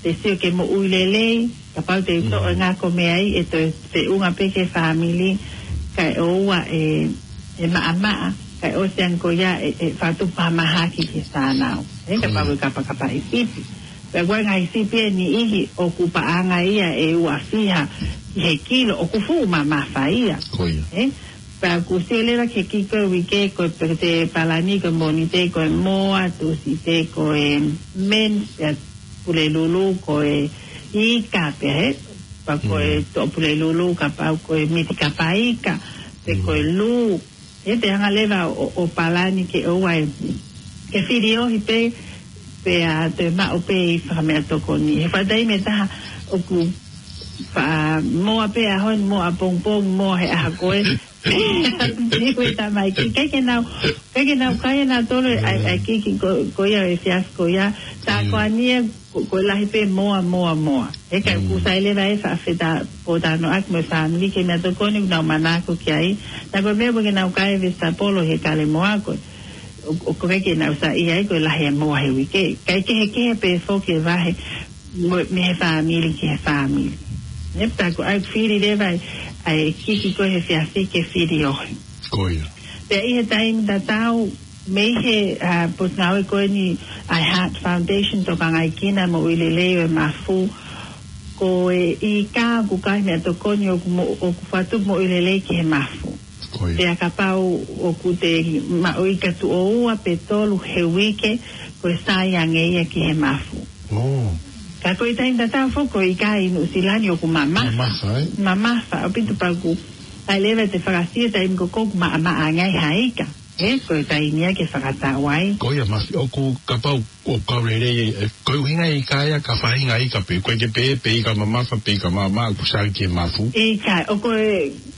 te sio ki he moʻui lelei, kapau te u toʻo e ngako mei ai, ʻe toe feʻunga pē ki he fāmili, kae ʻoua ʻe, ʻe maʻamaʻa, kae ʻosi ange ko ia ʻe, ʻe fakatupu ha mahaki ki he fānau. Ē, kapau ʻe kapakapa e sipi. Pea ko e ngaahi sipi ʻe niʻihi ʻoku paʻanga ia ʻe ua fiha ki he kilo, ʻoku fuʻu mamafa ia. Ko ia. Ē? Pea ʻoku sio leva ki he kiki ko e uike, ko e pē te palani, ko e Mōnite ko e moa, Tūsite ko e mince, pea Pulelulu ko e ika pē, ē? Pea ko e, mm, toʻo Pulelulu kapau ko e miti kapa ika, pe ko e, mm, lū. Ē, te hanga leva ʻo, ʻo palani ke ʻoua ʻe, ke filiohi pē, pea te maʻu pē e fakameʻatokoni. He faʻa taimi ʻe taha ʻoku faʻa moa pē ʻaho ni, moa pongipongi, moa he ʻaho ko ē. Niu e tamaiki. ʻIkai ke nau, ʻikai ke nau kai ʻe nautolu ʻa e, ʻa e kiki ko, ko ia ʻo e efiafi ko ia. Sa, mm, ko eni ē, ko, ko e lahi pē moa, moa, moa. He ka, mm, ʻoku sai leva e faʻa fetā, pōtalanoaʻaki mo e fāmili ki he meʻatokoni ʻoku nau manako ki ai. Naʻa ko e meʻa ʻoku ʻikai ke nau kai e vesitapolo he kale moa ko ē. ʻO, ʻoku ʻikai ke nau saiʻia ai ko e lahi e moa he uike. Kae kehekehe pē foki e vahe mo, mei he fāmili ki he fāmili. Ē, pea ko e ʻai fili leva ʻa e kiki ko ē he efiafi ke filiohi. Ko ia. Pea ʻi he taimi tatau, mei he, ā, potungāue ko eni ʻa e Heart Foundation, tokangaʻi kinautolu e moʻui lelei ʻo e mafu, ko e ika ʻoku kai meʻatokoni ʻoku mo-, ʻoku fakatupu moʻui lelei ki he mafu. Ko ia. Pea kapau ʻoku te maʻu ika tuʻo ua pe tolu he uike, ko e sai ange ia ki he mafu. Oh. Ka ko e taimi tatau foki ko e ika ʻi Nuʻusila ni ʻoku mamafa. Mamafa, ē? Mamafa, ʻaupito pea ʻoku ʻAi leva te fakasio taimi ko ē ʻoku maʻamaʻa ange ai ha ika. Ē, ko e taimi ia ke fakatau ai. Ko ia Mafi, ʻoku kapau ʻoku kau lelei, ē, ko e ʻuhinga ika ia, ka faʻahinga ika pē, ko e ke pē, pe ika mamafa, pe ika maʻamaʻa, ʻoku sai ki he mafu. ʻIkai, ʻoku,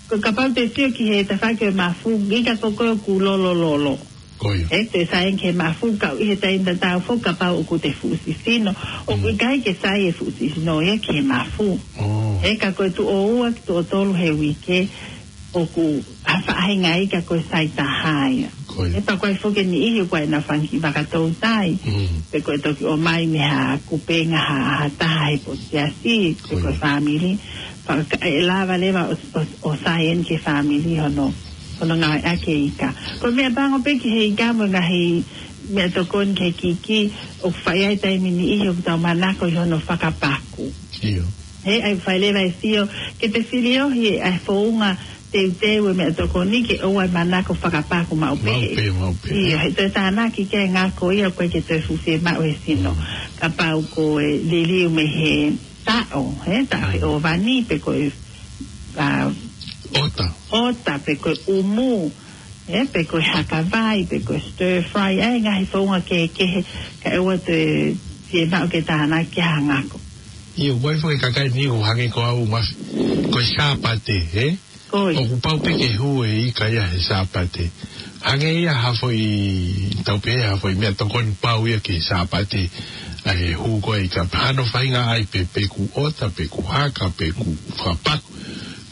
ko e kapau te sio ki he tafaʻaki ʻo e mafu, ika ko ē ʻoku lolololo. Ko ia. Ē, te sai ki he mafu, ka ʻi he taimi tatau foki kapau ʻoku te fuʻu sisino. ʻOku ʻikai ke sai e fuʻu sisino ia ki he mafu. Ē, ka ko e tuʻo ua ki he tuʻo tolu he uike, ʻoku ha faʻahinga ika ko e sai taha ia. Ko ia. Ē, pea ko e foki e niʻihi ʻoku ʻi ai ʻenau fanga kiʻi vaka toutai. Pe ko e toki ʻomai mei ha kupenga ha, ha taha he potu siasi, pe ko e fāmili. Pea ka, ʻe lava leva ʻo, ʻo, ʻo sai eni ki he fāmili hono, hono ngāueʻaki e ika. Ko e meʻa pango pē ki he ika mo e ngaahi meʻatokoni ki he kiki, ʻoku fai ai taimi niʻihi ʻoku tau manako ʻi hono fakapaku. ʻIo. Ē, ʻai fai leva e sio, ke te filiohi ʻa e founga teuteu e meʻatokoni ke ʻoua ʻe manako fakapaku maʻu pē. Maʻu pē, maʻu pē. ʻIo, he toe tānaki ki he ngako ia ʻoku ʻikai ke toe fuʻu fiemaʻu he sino. Kapau ko e liliu mei he taʻo, ē, taʻo he ʻōvani, pe ko e, ʻa, ʻota. ʻOta, pe ko e ʻumu, ē, pe ko e hakavai, pe ko e stir fry, ʻa e ngaahi founga kehekehe, kae ʻoua toe fiemaʻu ke tānaki ha ngako. ʻIo, ʻoku ʻi ai foki e kakai ni ʻoku hangē ko au Mafi, ko e Sāpate, ē? Ko ia. ʻOku pau pē ke hū e ika ia he Sāpate. Hangē ia ha foʻi, tau pehē ha foʻi meʻatokoni pau ia ki he Sāpate. ʻA e hū ko ē ika, hano faʻahinga ʻai pē, pe ʻoku ʻota, pe ʻoku haka, pe ʻoku fakapaku.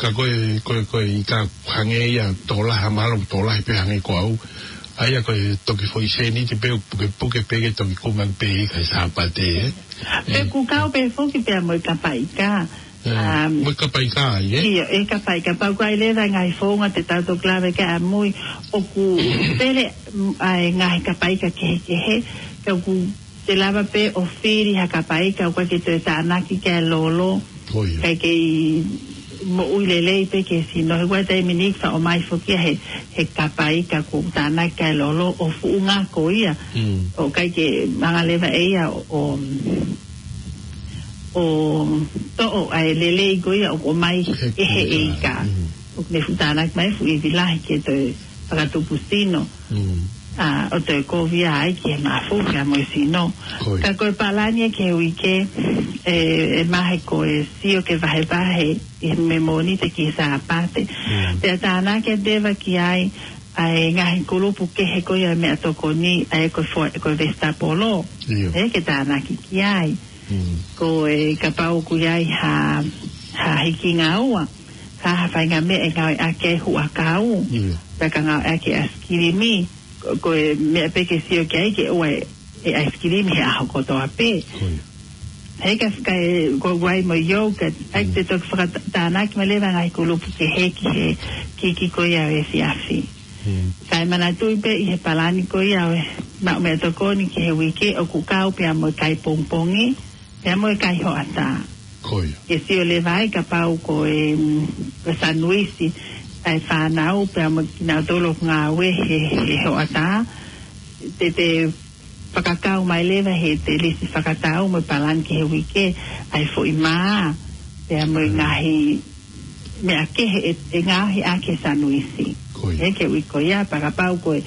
Ka ko e, ko e, ko e ika hangē ia tokolahi, mahalo tokolahi pē hangē ko au. ʻA ia ko e toki foʻi sēniti pē, pukepuke pē ke toki kumi pē ika he Sāpate, ē? Pe ʻoku kau pē foki pea mo e kapa ika. Ē, mo e kapa ika, ē? ʻIo, e kapa ika, pea ʻoku ʻi ai leva e ngaahi founga te tau toki lave ki ai ʻamui, ʻoku pele, mm, ʻa e ngaahi kapa ika kehekehe, ka ʻoku te lava pē ʻo fili ha kapa ika, ʻoku ʻikai ke toe tānaki ki ai e lolo. Ko ia. ʻIkai ke moʻui lelei pē ki he sino, he ʻoku ʻi ai e taimi ni ʻoku faʻa ʻomai foki ia he, he kapa ika ʻoku tānaki ki ai e lolo, ʻo fuʻu ngako ia. ʻOku ʻikai ke hanga leva ʻe ia ʻo, ʻo ʻo toʻo ʻa e lelei ko ia ʻoku ʻomai ʻe he ika. ʻOku ne fuʻu tānaki mai fuʻu ivi lahi ke toe fakatupu sino. ʻA, ʻo toe kovi ai ki he mafu pea mo e sino. Ka ko e palani ia ki he uike, ʻe, ʻe mahe ko e sio ke vahevahe ʻi he Mōnite ki he Sāpate. Pea tānaki atu leva ki ai ʻa e ngaahi kulupu kehe ko ia meʻatokoni, ʻa e ko e fo-, ko e vesitapolo. ʻIo. Ē, ke tānaki ki ai. Ko e kapau ʻoku ʻi ai ha, ha hikingaua, ha, ha faʻahinga meʻa ʻe ngāueʻaki ai huʻakau, pe ka ngāueʻaki ʻaisikilimi, ko, ko e meʻa pē ke sio ki ai ke ʻoua ʻe ʻaisikilimi he ʻaho kotoa pē. He ka, ka ʻoku ʻi ai mo e yogurt, ʻai te toki fakatānaki mai leva ngaahi kulupu kehe ki he kiki ko ia ʻo e efiafi. Kae manatuʻi pē ʻi he palani ko ia ʻo e maʻu meʻatokoni ki he uike ʻoku kau pea mo e kai pongipongi, pea mo e kai hoʻatā. Ko ia. Ke sio leva ai kapau ko e, mm, ko e sanuisi ʻa e fānau pea mo kinautolu ʻoku ngāue he, he hoʻatā. Te, te fakakau mai leva he te lisi fakatau mo e palani ki he uike ʻa e foʻi mā, pea mo e ngaahi meʻa kehe ʻe, ʻe ngaohi ʻaki e sanuisi. Ko ia. Ē, ke ui ko ia, pea kapau ko e,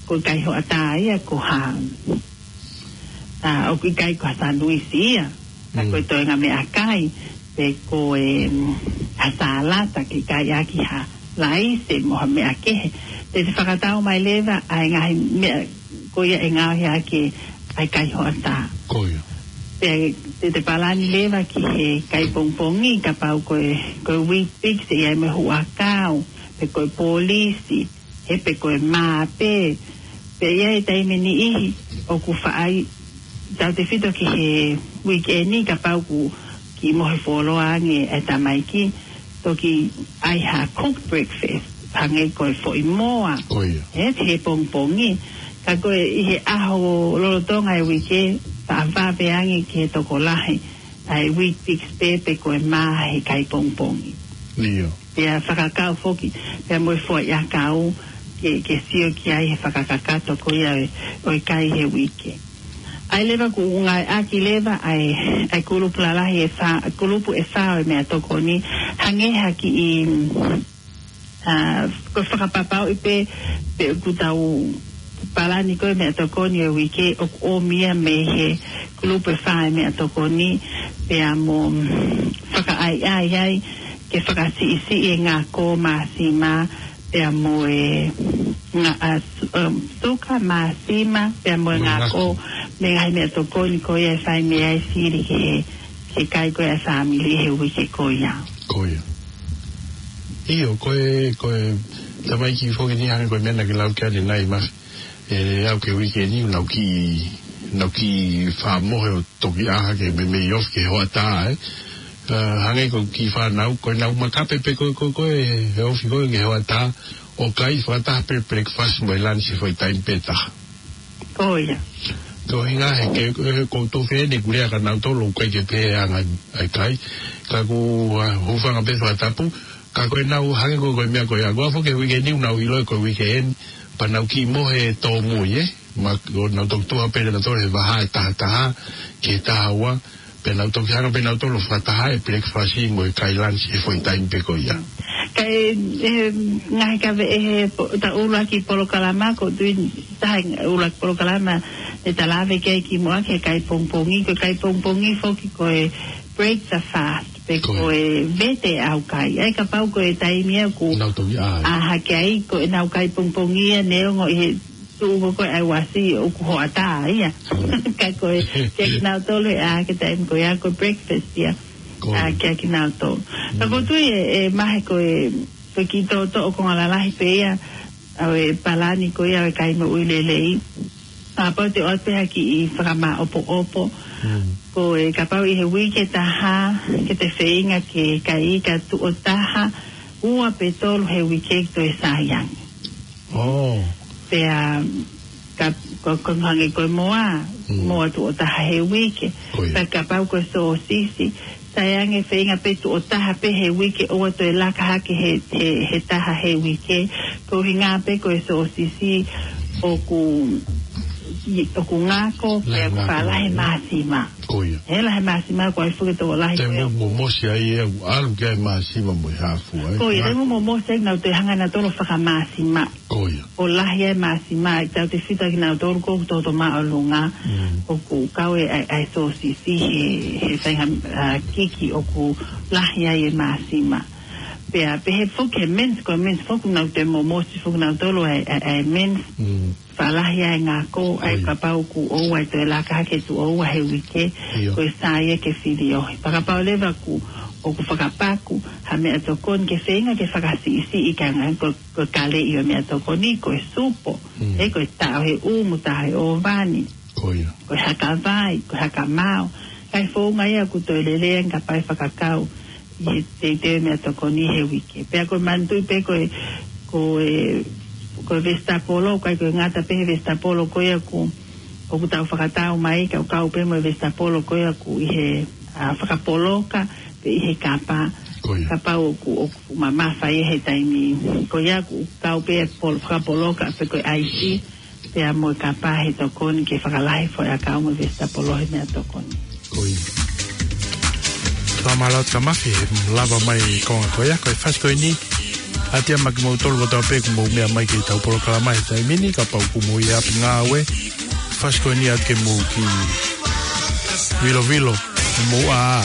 ko e kai hoʻatā ia ko ha, ʻa, ʻoku ʻikai ko ha sanuisi ia. Ka ko e toenga meʻakai, pe ko e, mm, ha sālata ke kai ʻaki ha laise mo ha meʻa kehe. Te te fakatau mai leva ʻa e ngaahi meʻa ko ia ʻe ngaohi ʻaki ʻa e kai hoʻatā. Ko ia. Pea te te palani leva ki he kai pongipongi, kapau ko e, ko e Weet-Bix, ʻe ʻi ai mo e huʻakau, pe ko e polisi, ē, pe ko e mā pē. Pea ʻi ai e taimi niʻihi ʻoku faʻa ʻai tautefito ki he uikeʻeni, kapau ʻoku kiʻi mohe fuoloa ange e tamaiki, toki ʻai ha cooked breakfast, hangē ko e foʻi moa. Ko ia. Ē, he pongipongi. Ka ko e ʻi he ʻaho lolotonga e uike, faʻa vave ange ki he tokolahi ʻa e Weet-Bix pē pe ko e mā he kai pongipongi. ʻIo. Pea fakakau foki, pea mo e foʻi ʻakau, ke, ke sio ki ai he fakakakato ko ia ʻo e, ʻo e kai he uike. ʻAi leva ʻoku ngāueʻaki leva ʻa e, ʻa e kulupu lalahi ʻe fā, kulupu ʻe fā ʻo e meʻatokoni, hangē ha kiʻi, mm, ʻA, ko e fakapapauʻi pē, pe ʻoku tau palani ko e meʻatokoni ʻo e uike ʻoku ʻomi ia mei he kulupu ʻe fā ʻo e meʻatokoni, pea mo fakaʻaiʻai ai ke fakasiʻisiʻi e ngako māsima, pea mo e nga-, ʻa, su-, um, suka māsima, pea mo e Mo e ngako, ngako. Mei he ngaahi meʻatokoni ko ia ʻe fai mei ai sili ki he, ki he kai ko ia ʻa e fāmili he uike ko ia. Ko ia. ʻIo, ko e, ko e, tamaiki foki ni hangē ko e meʻa naʻa ke lau ki ai ʻanenai ma, ʻe aʻu ki he uike ni, naʻa ku kiʻi, naʻa ku kiʻi fakamohe ʻo toki ʻā hake meimei ofi ki he hoʻatā, ē. ʻA, hangē ko e kiʻi fānau, ko ʻenau makape pē ko, ko, ko e, he ofi ko ē ki he hoʻatā, ʻo kai fakataha pē breakfast mo e lunch he foʻi taimi pē taha. Ko ia. Ko e ʻuhinga he ke, he ko e tō fēnei kuo lea kia nautolu ʻoku ʻikai ke pehē ʻa e anga ʻa e kai. Ka ʻoku, ʻa, hūfanga pē fakatapu. Ka ko ʻenau hangē ko, ko e meʻa ko ia. Ko e foki he uike ni ʻoku nau ʻilo ko e weekend. Pea nau kiʻi mohe tōmui, ē. Ma, ʻo nau toki tuʻu hake pē nautolu he vahaʻa ʻe taha taha, ki he taha ua. Pea nau toki hanga pē nautolu ʻo fakataha e breakfast mo e kai lunch he foʻi taimi pē ko ia. Ka e, e, ngaahi kaveinga he po-, ta ʻuluaki polokalama ko tui taha ʻuluaki polokalama ʻe ta lave ki ai kimuʻa ki he kai pongipongi, ko e kai pongipongi foki ko e break the fast, pe Ko ia. ko e vete ʻaukai. ʻAi kapau ko e taimi ia ʻoku Nau toki ʻā. ʻā hake ai, ko ʻenau kai pongipongi ia neongo ʻi he tuʻu ko ē ʻa e uasi ʻoku hoʻatā ia. Ka ko e, ke nautolu ʻā hake taimi ko ia ko e breakfast ia. Ko ʻA ia. kia kinautolu. Ka ko Mm. tui e, e mahe ko e, ko e kiʻi toʻotoʻo konga lalahi pē ia, ʻa e palani ko ia ʻo e kai moʻui lelei. Kapau te u ʻoatu pē ha kiʻi fakamāʻopoʻopo. Mm. Ko e kapau ʻi he uike ʻe taha, ke te feinga ke kai ika tuʻo taha, ua pe tolu he uike ke toe saiangi. Oh. Pea, ka, ko, ko hangē ko e moa, Mm. moa tuʻo taha he uike. Ko ia. Pea kapau ko e sōsisi, saiangi feinga pē tuʻo taha pē he uike ʻoua toe laka hake he, he, he taha he uike. Ko e ʻuhinga pē ko e sōsisi ʻoku, ʻoku ngako, Lahi pea ʻoku ngako. faʻa lahi māsima. Ko ia. He lahi māsima ko e fuke tō lahi Te ko ia. mo, mo mosi ai e ʻalu ki ai māsima mo e haafu ai. Ko ia, Ngako. te mo, mo mosi ai nau te hanga nautolu ʻo fakamāsima. Ko ia. ʻO lahi ai māsima, ʻe tautefito kinautolu ko ʻoku toto māʻolunga, Mm. ʻoku kau e, ʻa e, ʻa e sōsisi he, he feinga, ʻa, kiki ʻoku lahi ai e māsima. Pea, pehē foki he mince, ko e mince foki nau te mo, mosi foki nautolu ʻa e, ʻa e, ʻa e mince. Mm. Faʻa lahi ai ngako, ʻai ʻIo. kapau ʻoku ʻoua ʻe toe laka hake tuʻo ua he uike, ʻIo. ko e sai ia ke filiohi. Pea kapau leva ʻoku, ʻoku fakapaku, ha meʻatokoni ke feinga ke fakasiʻisiʻi ka ngā ko, ko e kaleʻi ʻo e meʻatokoni, ko e supo, Mm. ʻe ko e taʻo he ʻumu, taʻo he ʻōvani, Ko ia. ko e haka vai, ko e haka mao. Kae founga ia ʻoku toe lelei ange kapau ʻe fakakau ʻi he teuteu meʻatokoni he uike. Pea ko e manatuʻi pē ko e, ko e, ko e vesitapolo, ʻikai ko e ngata pē he vesitapolo ko ia ʻoku, ʻoku tau fakatau mai, ka ʻoku kau pē mo e vesitapolo ko ia ʻoku ʻi he, ʻa, fakapoloka, pe ʻi he kapa, Ko ia. kapau ʻoku, ʻoku mamafa ia he taimi. Ko ia ʻoku kau pē pol-, fakapoloka, pe ko e ʻaisi, pea mo e kapa he tokoni ke fakalahi foʻi ʻakau mo e vesitapolo he meʻatokoni. Ko ia. Fakamālō atu kia Mafi, he lava mai konga ko ia, ko e fasi ko eni. ʻAti ā maʻa kimoutolu kotoa pē ʻoku mou meʻa mai ki heʻetau polokalama he taimi ni, kapau ʻoku mou ʻi ʻapi ngāue. Fasi ko eni ʻoatu ke mou kiʻi vilovilo, mou ʻā.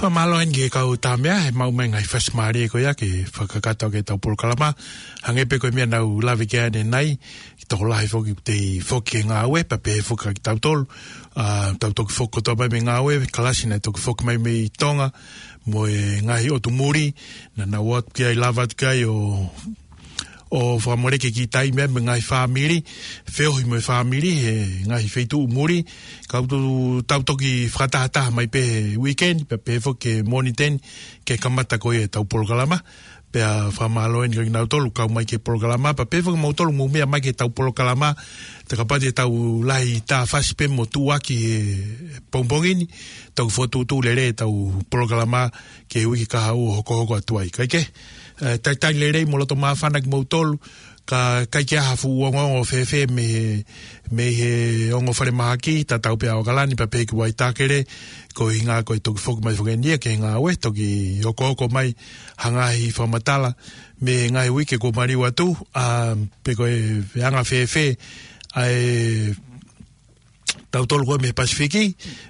Mālō eni ki he kau Tāmea, he maʻu mai e ngaahi fasi mālie ko ia ke fakakakato ʻaki ʻetau polokalama. Hangē pē ko e meʻa naʻa ku lave ki ai ʻanenai, ʻoku tokolahi foki ʻoku tau foki ki he ngāue, pea pehē foki kiate kitautolu. ʻA, tau toki foki kotoa mai mei he ngāue, kalasi naʻe toki foki mai mei Tonga, mo e ngaahi ʻotu muli, naʻa nau ō atu ki ai, lava atu ki ai ʻo ʻo fakamoleki e kiʻi taimi mo e ngaahi fāmili, feohi mo e fāmili he ngaahi feituʻu muli, ka ʻoku tau toki fakatahataha mai pē he weekend, pea pehē foki ki he Mōnite ni, ke kamata ko ia ʻetau polokalama, pea fakamālō eni kiate kinautolu kau mai ki he polokalama, pea pehē foki kimoutolu mou meʻa mai ki heʻetau polokalama, te kapau te tau lahi tā fasi pē mo tuʻuaki he pongipongi ni, tau fokotuʻutuʻu lelei ʻetau polokalama ki he uike kahaʻu ʻo hokohoko atu ai. Kae kehe, ʻe, talitali lelei mo loto māfana kimoutolu, ka ʻikai ke ʻi ai ha fuʻu ongoongo fēfē mei he, mei he ongo falemahaki, tatau pē ʻa ʻAokalani pea pehē ki Waitakere, ko e ʻuhinga ko e toki foki mai foki eni ia ki he ngāue, toki hokohoko mai ha ngaahi fakamatala mei he ngaahi uike kuo maliu atu, ʻa, pe ko e anga fēfē ʻa e tautolu ko ē mei he Pasifiki,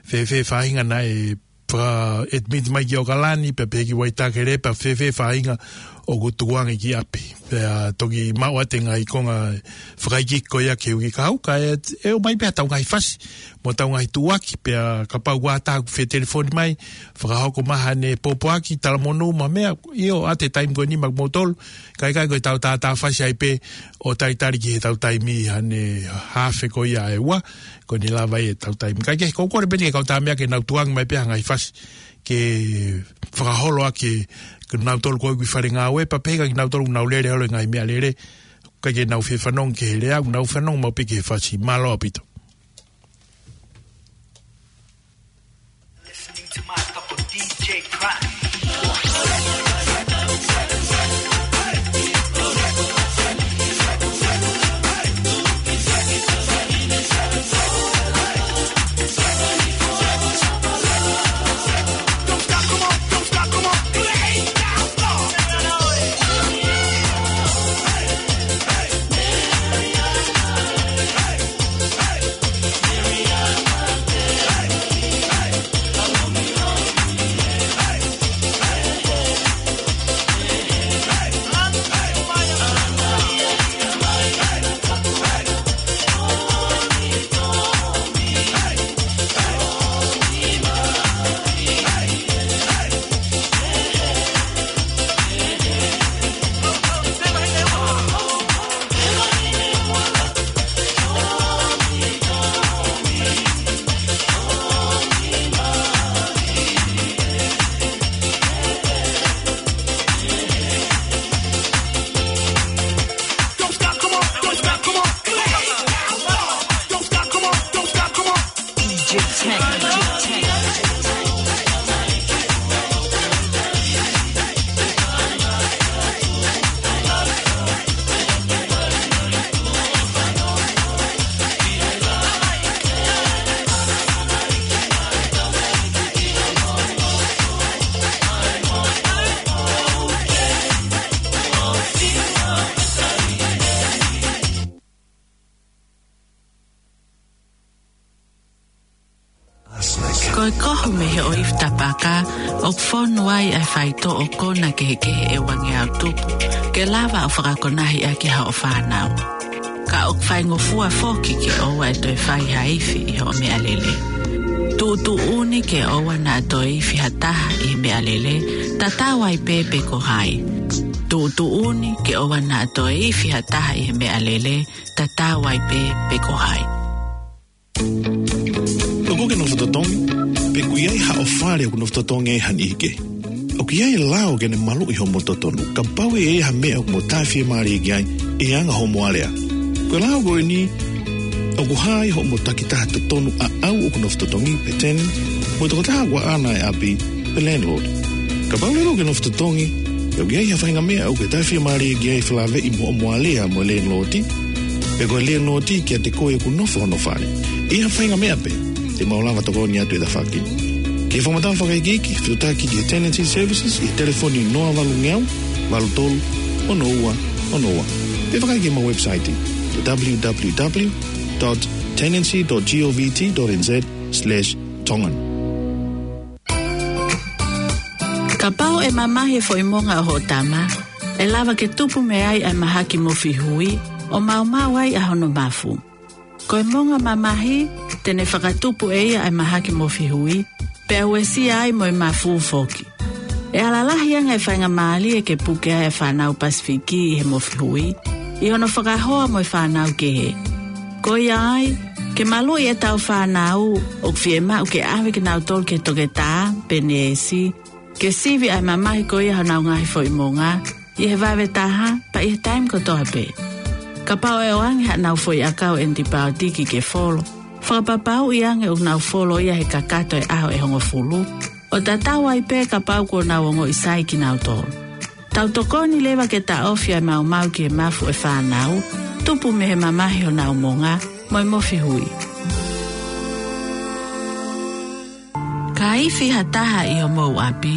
fēfē faʻahinga naʻe faka-admit mai ki ʻAokalani, pea pehē ki Waitakere, pea fēfē faʻahinga ʻoku tukuange ki ʻapi. Pea toki maʻu atu e ngaahi konga fakaikiiki ko ia ki he uike kahaʻu, kae ʻomai pē haʻatau ngaahi fasi, mo ʻetau ngaahi tuʻuaki, pea kapau ʻoku ʻi ai ha taha ʻoku fie telefoni mai, fakahoko mai haʻane pōpoaki, talamonū mo e meʻa, ʻio, ʻoatu e taimi ko eni maʻa kimoutolu, kae ʻikai ko ʻetau tā tā fasi ai pē ʻo talitali ki heʻetau taimi haʻane haafe ko ia ʻe ua, ko eni lava ʻetau taimi. Kae kehe, ʻoku ou kole pē eni ki he kau Tāmea ke nau tukuange mai pē ha ngaahi fasi ke fakaholo ʻaki kinautolu ko ē ʻoku ʻi fale ngāue, pea pehē kiate kinautolu ʻoku nau lele holo he ngaahi meʻalele, ʻikai ke nau fie fanongo ki he lea, ʻoku nau fanongo maʻu pē ki he fasi. Mālō ʻaupito. Listening to my cup of D J Crack. Ko e kohu mei he ʻoifi tapaka, ʻoku fonu ai ʻa e faitoʻo kona kehekehe ʻe uangeau tupu, ke lava ʻo fakakonahi ʻaki haʻo fānau. Ka ʻoku faingofua foki ke ʻoua ʻe toe fai ha ifi ʻi hoʻo meʻalele. Tuʻutuʻuni ke ʻoua naʻa toe ifi ha taha ʻi he meʻalele, tatau ai pē pe ko hai. Tuʻutuʻuni ke ʻoua naʻa toe ifi ha taha ʻi he meʻalele, tatau ai pē pe ko hai. ʻOku ke nofo totongi, pe ʻoku ʻi ai haʻo fale ʻoku nofo totongi ai ha niʻihi kehe? ʻOku ʻi ai e lao ke ne maluʻi hoʻomo totonu, kapau ʻe ʻi ai ha meʻa ʻoku mo taʻefiemālie ki ai, ʻi he anga hoʻomo alea. Ko e lao ko eni, ʻoku hā ai hoʻomo takitaha totonu ʻaʻau ʻoku nofo totongi pe tenant, mo e tokotaha ʻoku ʻaʻana e ʻapi pe landlord. Kapau leva ʻoku ke nofo totongi, pea ʻoku ʻi ai ha faʻahinga meʻa ʻoku ke taʻefiemālie ki ai felāveʻi mo hoʻomo alea mo e landlord, pe ko e landlord kiate koe ʻoku nofo hono fale. ʻI ha faʻahinga meʻa pē, te mau lava tokoni atu e tafaʻaki. Ke fakamatala fakaikiiki, fetuʻutaki ki he Tenancy Services ʻi he telefoni noa valu ngeau, valu tolu, ono ua, ono ua. Pe fakaikiiki ki heʻemau website, w w w dot tenancy dot govt dot n z slash tongan. Kapau ʻe mamahi e foʻi monga ʻo hoʻo tama, ʻe lava ke tupu mei ai ʻa e mahaki mofihui, ʻo maumau ai ʻa hono mafu. Ko e monga mamahi, te ne fakatupu ʻe ia ʻa e mahaki mofihui, pea uesia ai mo e mafu foki. ʻE ala lahi ange e faingamālie ke puke ai e fānau Pasifiki ʻi he mofihui, ʻi hono fakahoa mo e fānau kehe. Ko ia ai, ke maluʻi ʻetau fānau, ʻoku fiemaʻu ke ʻave kinautolu ki he toketā, pe neesi, ke sivi ʻa e mamahi ko ia honau ngaahi foʻi monga, ʻi he vave taha, pea ʻi he taimi kotoa pē. Kapau ʻe ʻoange haʻanau foʻi ʻakau ʻenipaotiki ke folo, fakapapauʻi ange ʻoku nau folo ia he kakato e ʻaho ʻe hongofulu, ʻo tatau ai pē kapau kuo nau ongoʻi sai kinautolu. Tau tokoni leva ke taʻofi ʻa e maumau ki he mafu e fānau, tupu mei he mamahi honau monga, mo e mofihui. Ka ifi ha taha ʻi homou ʻapi,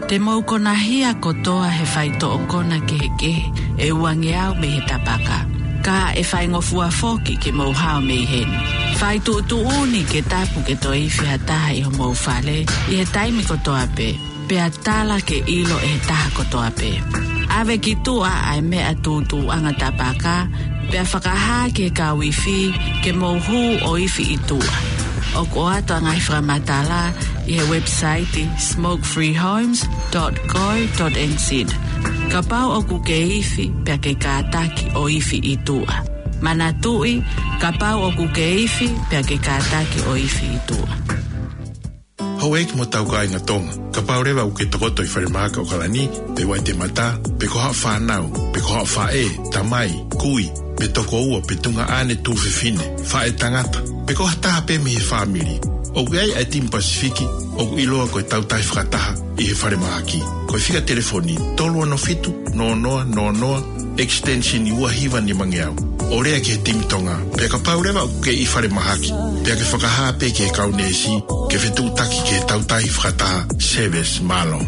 te mou konahia kotoa he faitoʻo kona kehekehe ʻe uangeau mei he tapaka. Ka ʻe faingofua foki ke mou hao mei heni. Fai tuʻutuʻuni ke tapu ke toe ifi ha taha ʻi homou fale, ʻi he taimi kotoa pē. Pea tala ke ʻilo ʻe he taha kotoa pē. ʻAve ki tuʻa ʻa e meʻa tūtuuʻanga tapaka, pea fakahā ki he kau ifi ke mou hū ʻo ifi ʻi tuʻa. ʻOku ʻoatu ʻa e ngaahi fakamatala ʻi he website smoke free homes dot co dot N Z. Kapau ʻoku ke ifi, pea ke kātaki ʻo ifi ʻi tuʻa. Manatuʻi, kapau ʻoku ke ifi, pea ke kātaki ʻo ifi ʻi tuʻa. Houʻeiki mo hotau kāinga Tonga, kapau leva ʻoku ke tokoto ʻi falemahaki ʻOkalani, pe Waitemata, pe ko haʻo fānau, pe ko haʻo faʻē, tamai, kui, pe tokoua, pe tuongaʻane tuofefine, faʻētangata, pe ko ha taha pē mei he fāmili, ʻoku ʻi ai ʻa e timi Pasifiki ʻoku ʻiloa ko e Tautahi Fakataha ʻi he falemahaki. Ko e fika telefoni tolu ono fitu, noa noa noa noa, extension ua hiva nimangeau. ʻO lea ki he timi Tonga. Pea kapau leva ʻoku ke ʻi falemahaki, pea ke fakahā pē ki he kau neesi ke fetuʻutaki ki he Tautahi Fakataha Service. Mālō.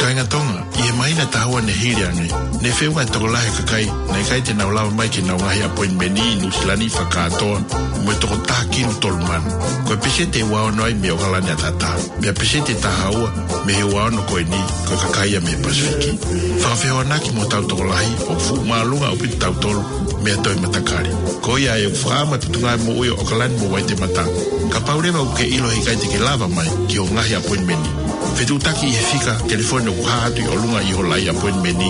Kāinga Tonga, ʻi he māhina ʻe taha ua ne hili ange, ne feʻunga e tokolahi e kakai naʻe ʻikai te nau lava mai ki heʻenau ngaahi appointment ʻi Nuʻusila ni fakakātoa, mo e toko taha kilu tolu mano. Ko e peseti ʻe ua ono ai mei ʻOkalani ʻAtatā. Pea peseti ʻe taha ua mei he ua ono ko eni, ko e kakai ia mei he Pasifiki. Fakafehoanaki mo hotau tokolahi, ʻoku fuʻu māʻolunga ʻaupito kitautolu mei ha toe matakali. Ko ia ai ʻoku fakaʻamu e Potungāue Moʻui ʻo ʻOkalani mo Waitemata. Kapau leva ʻoku ke ʻilo he ʻikai te ke lava mai ki hoʻo ngaahi appointment, fetuʻutaki ʻi he fika telefoni ʻoku hā atu ʻi ʻolunga ʻi ho laʻi appointment,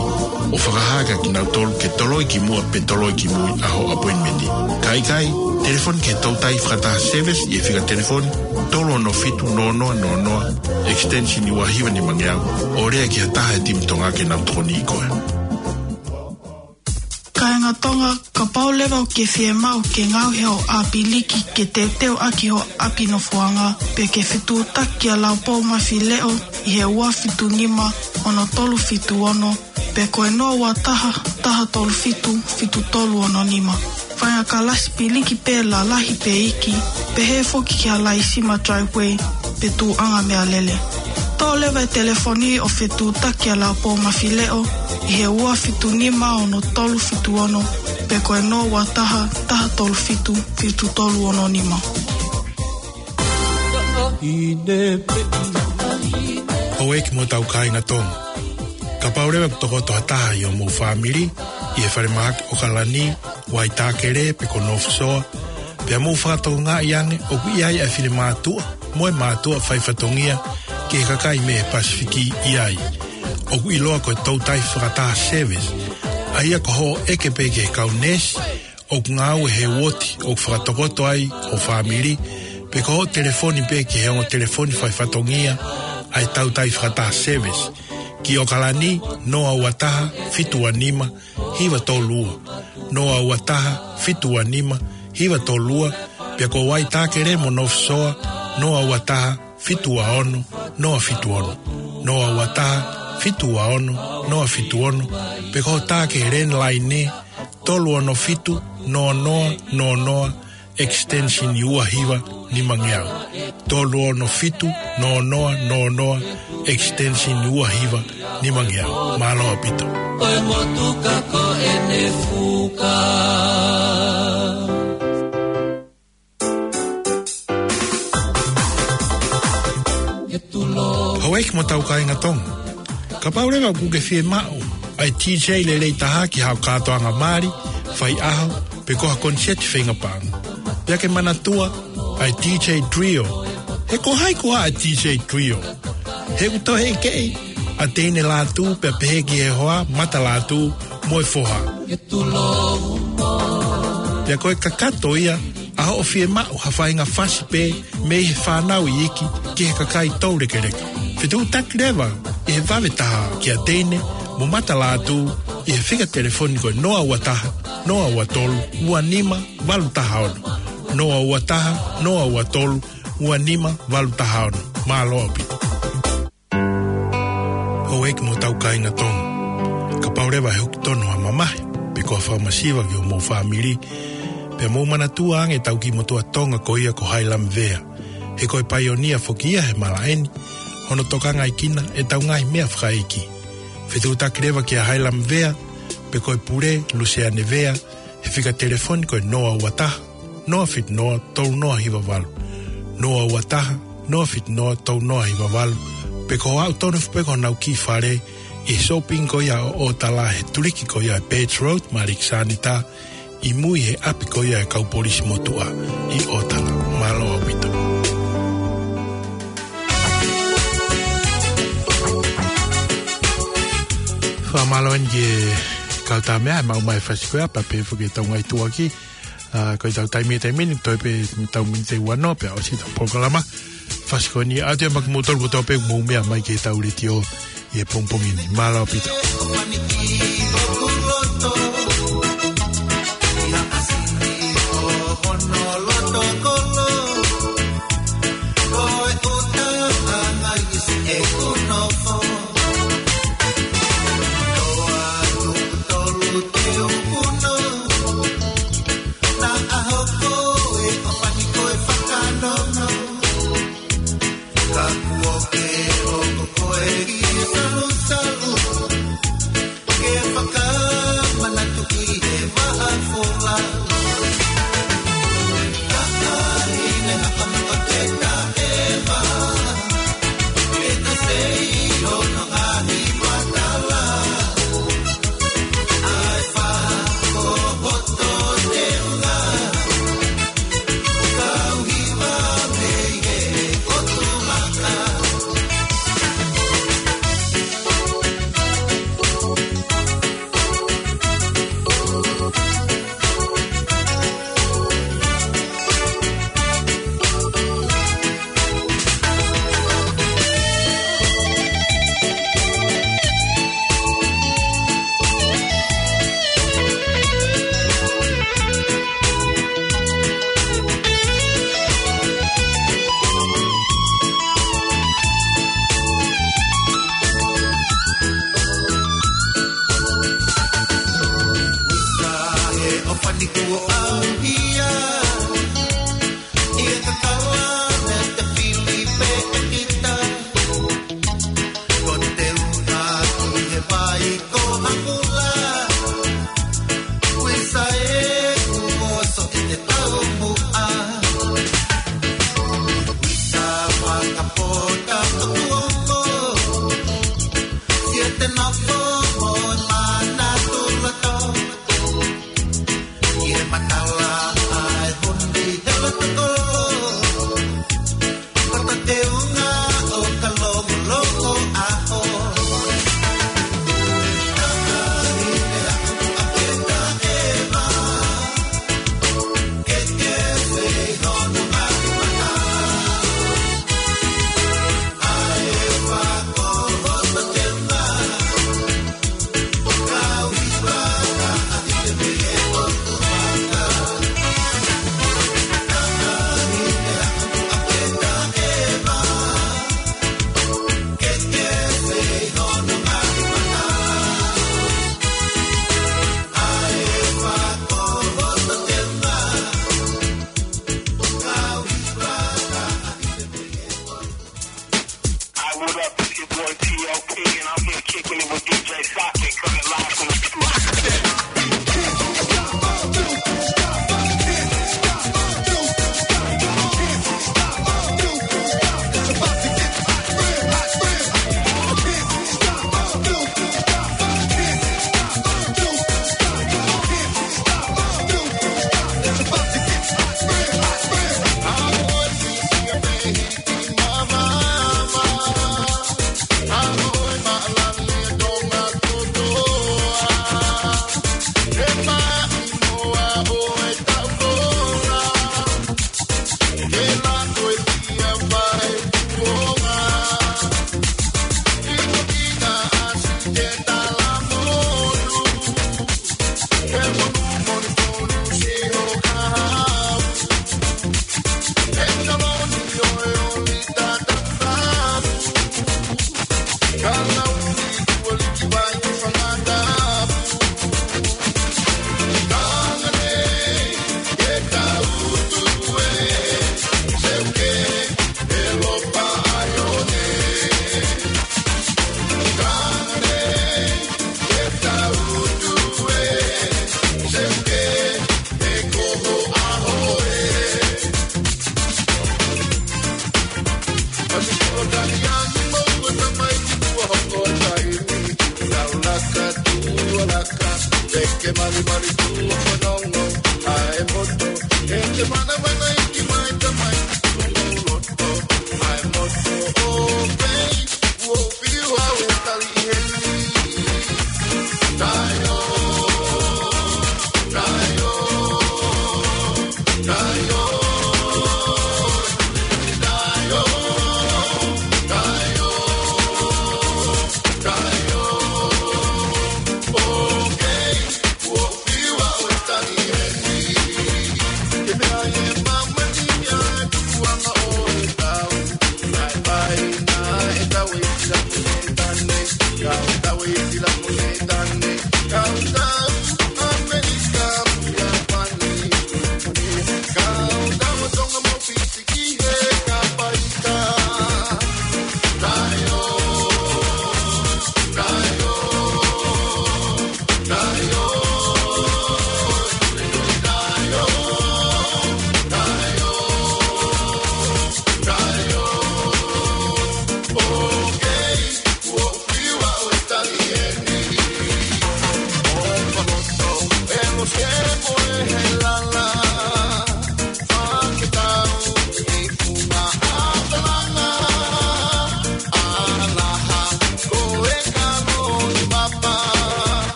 ʻo fakahā kia kinautolu ke toloi ki muʻa pe toloi ki mui ʻa hoʻo appointment. Ka ʻikai, telefoni ki he Tautahi Fakataha Service ʻi he fika telefoni tolu ono fitu, noa noa noa noa, extension ua hiva nimangeau, ʻo lea ki ha taha e timi Tonga ke nau tokoniʻi koe. Kāinga Tonga, kapau leva ʻoku ke fiemaʻu ke ngaohi hoʻo ʻāpiliki ke teuteu ʻaki hoʻo ʻapi nofoʻanga, pe ke fetuʻutaki kia Laupou Mafileʻo ʻi he ua fitu nima, ono tolu fitu ono, pe ko e noa ua taha, taha tolu fitu, fitu tolu ono nima. Fai ha kalasi piliki pē lalahi pe iiki, pehē foki ki ha laisima driveway pe tuʻuʻanga meʻalele. Toʻo leva e telefoni ʻo fetuʻutaki kia Laupou Mafileʻo ʻi he ua fitu nima, ono tolu fitu ono, pe ko e noa ua taha, taha tolu fitu, fitu tolu ono nima. Houʻeiki mo hotau kāinga Tonga, kapau leva ʻoku tokoto ha taha ʻi homou fāmili ʻi he falemahaki ʻOkalani, Waitākele pe ko North Shore, pea mou fakatokangaʻi ange ʻoku ʻi ai ʻa e finemātuʻa mo e mātuʻa faifatongia ki he kakai mei he Pasifiki ʻi ai, ʻoku ʻiloa ko e Tautahi Fakataha Service, ʻa ia ko hoʻo ʻeke pē ki he kau neesi ʻoku ngāue he uooti ʻoku fakatokoto ai ho fāmili, pe ko hoʻo telefoni pē ki he ongo telefoni faifatongia ʻa e Tautahi Fakataha Service, ki ʻOkalani, noa ua taha, fitu ua nima, hiva tolu ua, noa ua taha, fitu ua nima, hiva tolu ua, pea ko Waitākele mo North Shore, noa ua taha, fitu ua ono, noa fitu ono, noa ua taha, fitu ua ono, noa fitu ono, pe ko hoʻo tā ki he landline, tolu ono fitu, noa noa noa noa, extension ua hiva nimangeau. Tolu ono fitu, noa noa noa noa, extension ua hiva nimangeau. Mālō ʻaupito. Ko e motuka ko ʻene fuka. Houʻeiki mo hotau kāinga Tonga. Kapau leva ʻoku ke fiemaʻu ʻa e D J lelei taha ki haʻo kātoanga mali, faiʻaho, pe ko ha koniseti feinga paʻanga, pea ke manatua ʻa e D J Trio. He ko hai koā ʻa e D J Trio? He ʻoku toe ʻi ai ʻa Teine Lātū, pea pehē ki he hoa, Mata Lātū, mo e foha. Pea ko e kakato ia ʻa hoʻo fiemaʻu ha faʻahinga fasi pē mei he fānau iiki ki he kakai toulekeleka. Fetuʻutaki leva ʻi he vave taha kia Teine mo Mata Lātū ʻi he fika telefoni ko e noa ua taha, noa ua tolu, ua nima, valu taha ono. Noa ua taha, noa ua tolu, ua nima, valu taha ono. Mālō ʻaupito. Houʻeiki mo hotau kāinga Tonga. Kapau leva he ʻoku tonu ha mamahi, pe ko ha fakamasiva ki homou fāmili, pea mou manatua ange ʻetau kiʻi motuʻa Tonga ko ia ko Hailami Vea. He ko e paionia foki ia he malaʻe ni, hono tokangaʻi kinautolu ʻe heʻetau ngaahi meʻa fakaʻeiki. Fetuʻutaki leva kia Hailami Vea, pe ko e pule, Luseane Vea, he fika telefoni ko e noa ua taha, noa fitu noa, tolu noa hiva valu. Noa ua taha, noa fitu noa, tolu noa hiva valu. Pe ko hoʻo aʻu tonu foki pē ki honau kiʻi fale ʻi he shopping ko ia ʻo ʻOtala, he tuliki ko ia ʻe Birch Road, Maliki Sanita, ʻi mui he ʻapi ko ia ʻa e kau polisi motuʻa ʻi ʻOtala. Mālō ʻaupito. Fakamālō eni ki he kau tama ʻi he maʻu mai e fasi ko ia, pea pehē foki ki heʻetau ngaahi tuʻuaki. ʻA, ko ʻetau taimi he taimi ni, toe pē ʻetau miniti ʻe ua noa pea ʻosi ʻetau polokalama. Fasi ko eni, ʻoatu ia maʻa kimoutolu kotoa pē ʻoku mou meʻa mai ki heʻetau letiō ʻi he pongipongi ni. Mālō ʻaupito.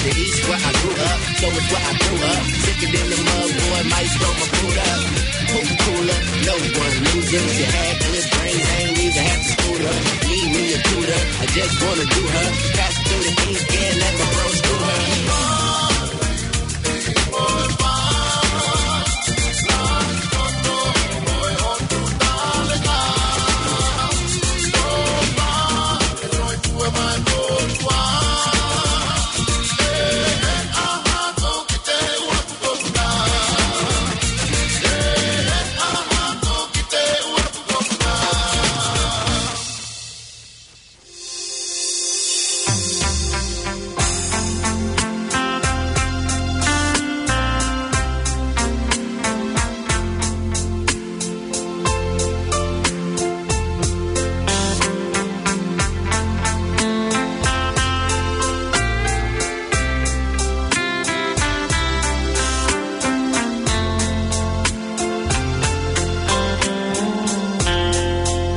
The East where I grew up, so it's where I grew up. Sicker than the mud, boy, might throw my boot up. Coca-Cola, no one losing. If you had good brains, I ain't even have to scoot up. Need me a tutor, I just wanna do her. Pass through the ink and let my bros do her.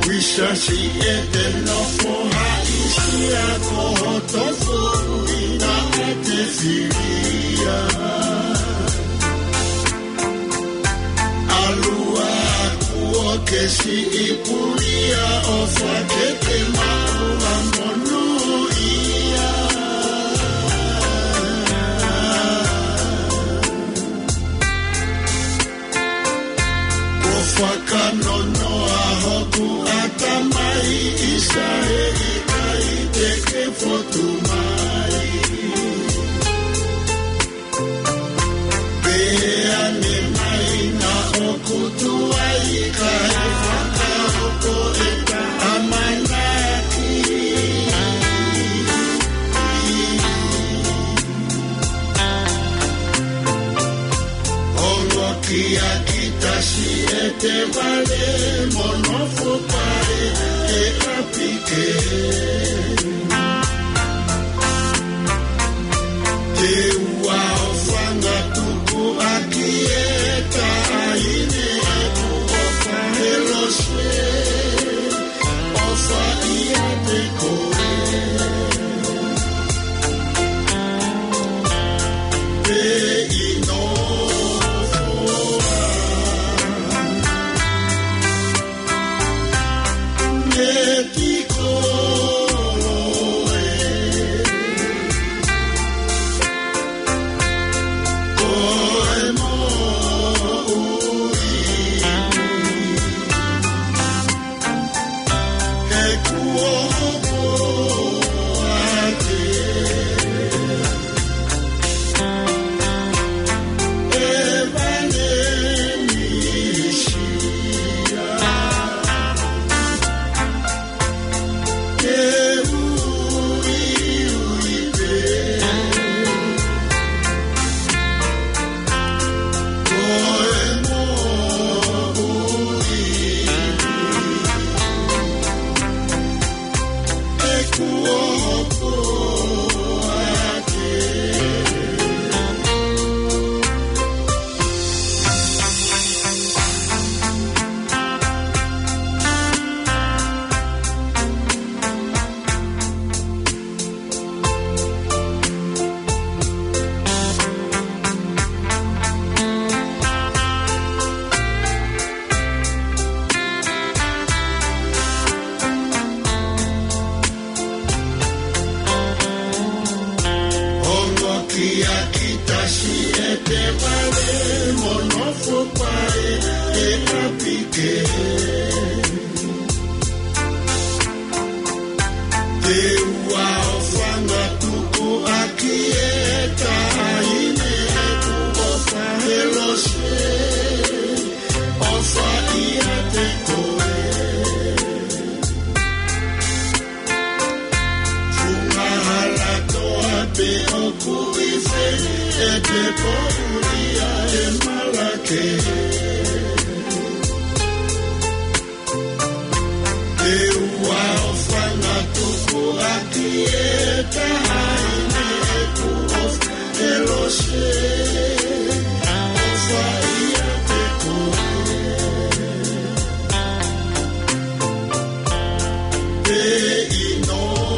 Wisasi e te nofo haʻisia ko hoto foʻi na e te filia. ʻAlu ā kuo ke siʻi pulia ʻo fakeke maʻu ʻa monūʻia. Kuo fakanonoa hoku ʻatamai ʻisa he ʻikai te ke fotu mai. Pea ne mai na ʻoku tuai kae fakahoko e ta ʻamanaki. Ongo kia kita si e te vale mo nofo pae e ʻapi ke. Te u ʻaofanga tukuʻaki e taʻahine ʻoku ʻofa he lose, ʻofa ʻiate koe. Pea ʻi nofoa Ongo kia kita si e te vale mo nofo pae e ʻapi ke. Te u ʻaofanga tukuʻaki e taʻahine ʻoku ʻofa he lose, ʻofa ʻiate koe. Funga hala toa pē ʻoku ʻi fē, ʻe te poʻuli ʻa e malake. Te u ʻaofanga tukuʻaki e taʻahine ʻoku ʻofa he lose, ʻofa ʻiate koe. Pea ʻi nofoa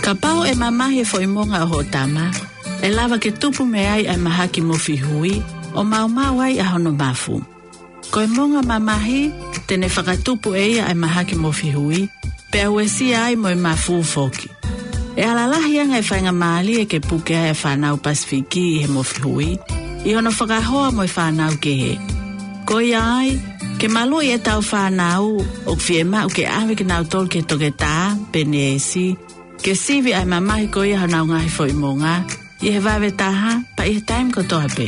Kapau ʻe mamahi e foʻi monga ʻo hoʻo tama, ʻe lava ke tupu mei ai ʻa e mahaki mofihui, ʻo maumau ai ʻa hono mafu. Ko e monga mamahi, te ne fakatupu ʻe ia ʻa e mahaki mofihui, pea uesia ai mo e mafu foki. ʻE ala lahi ange e faingamālie ke puke ai ʻa e fānau Pasifiki ʻi he mofihui, ʻi hono fakahoa mo e fānau kehe. Ko ia ai, ke maluʻi ʻetau fānau, ʻoku fiemaʻu ke ʻave kinautolu ki he toketā, pe neesi, ke sivi ʻa e mamahi ko ia honau ngaahi foʻi monga, ʻi he vave taha, pea ʻi he taimi kotoa pē.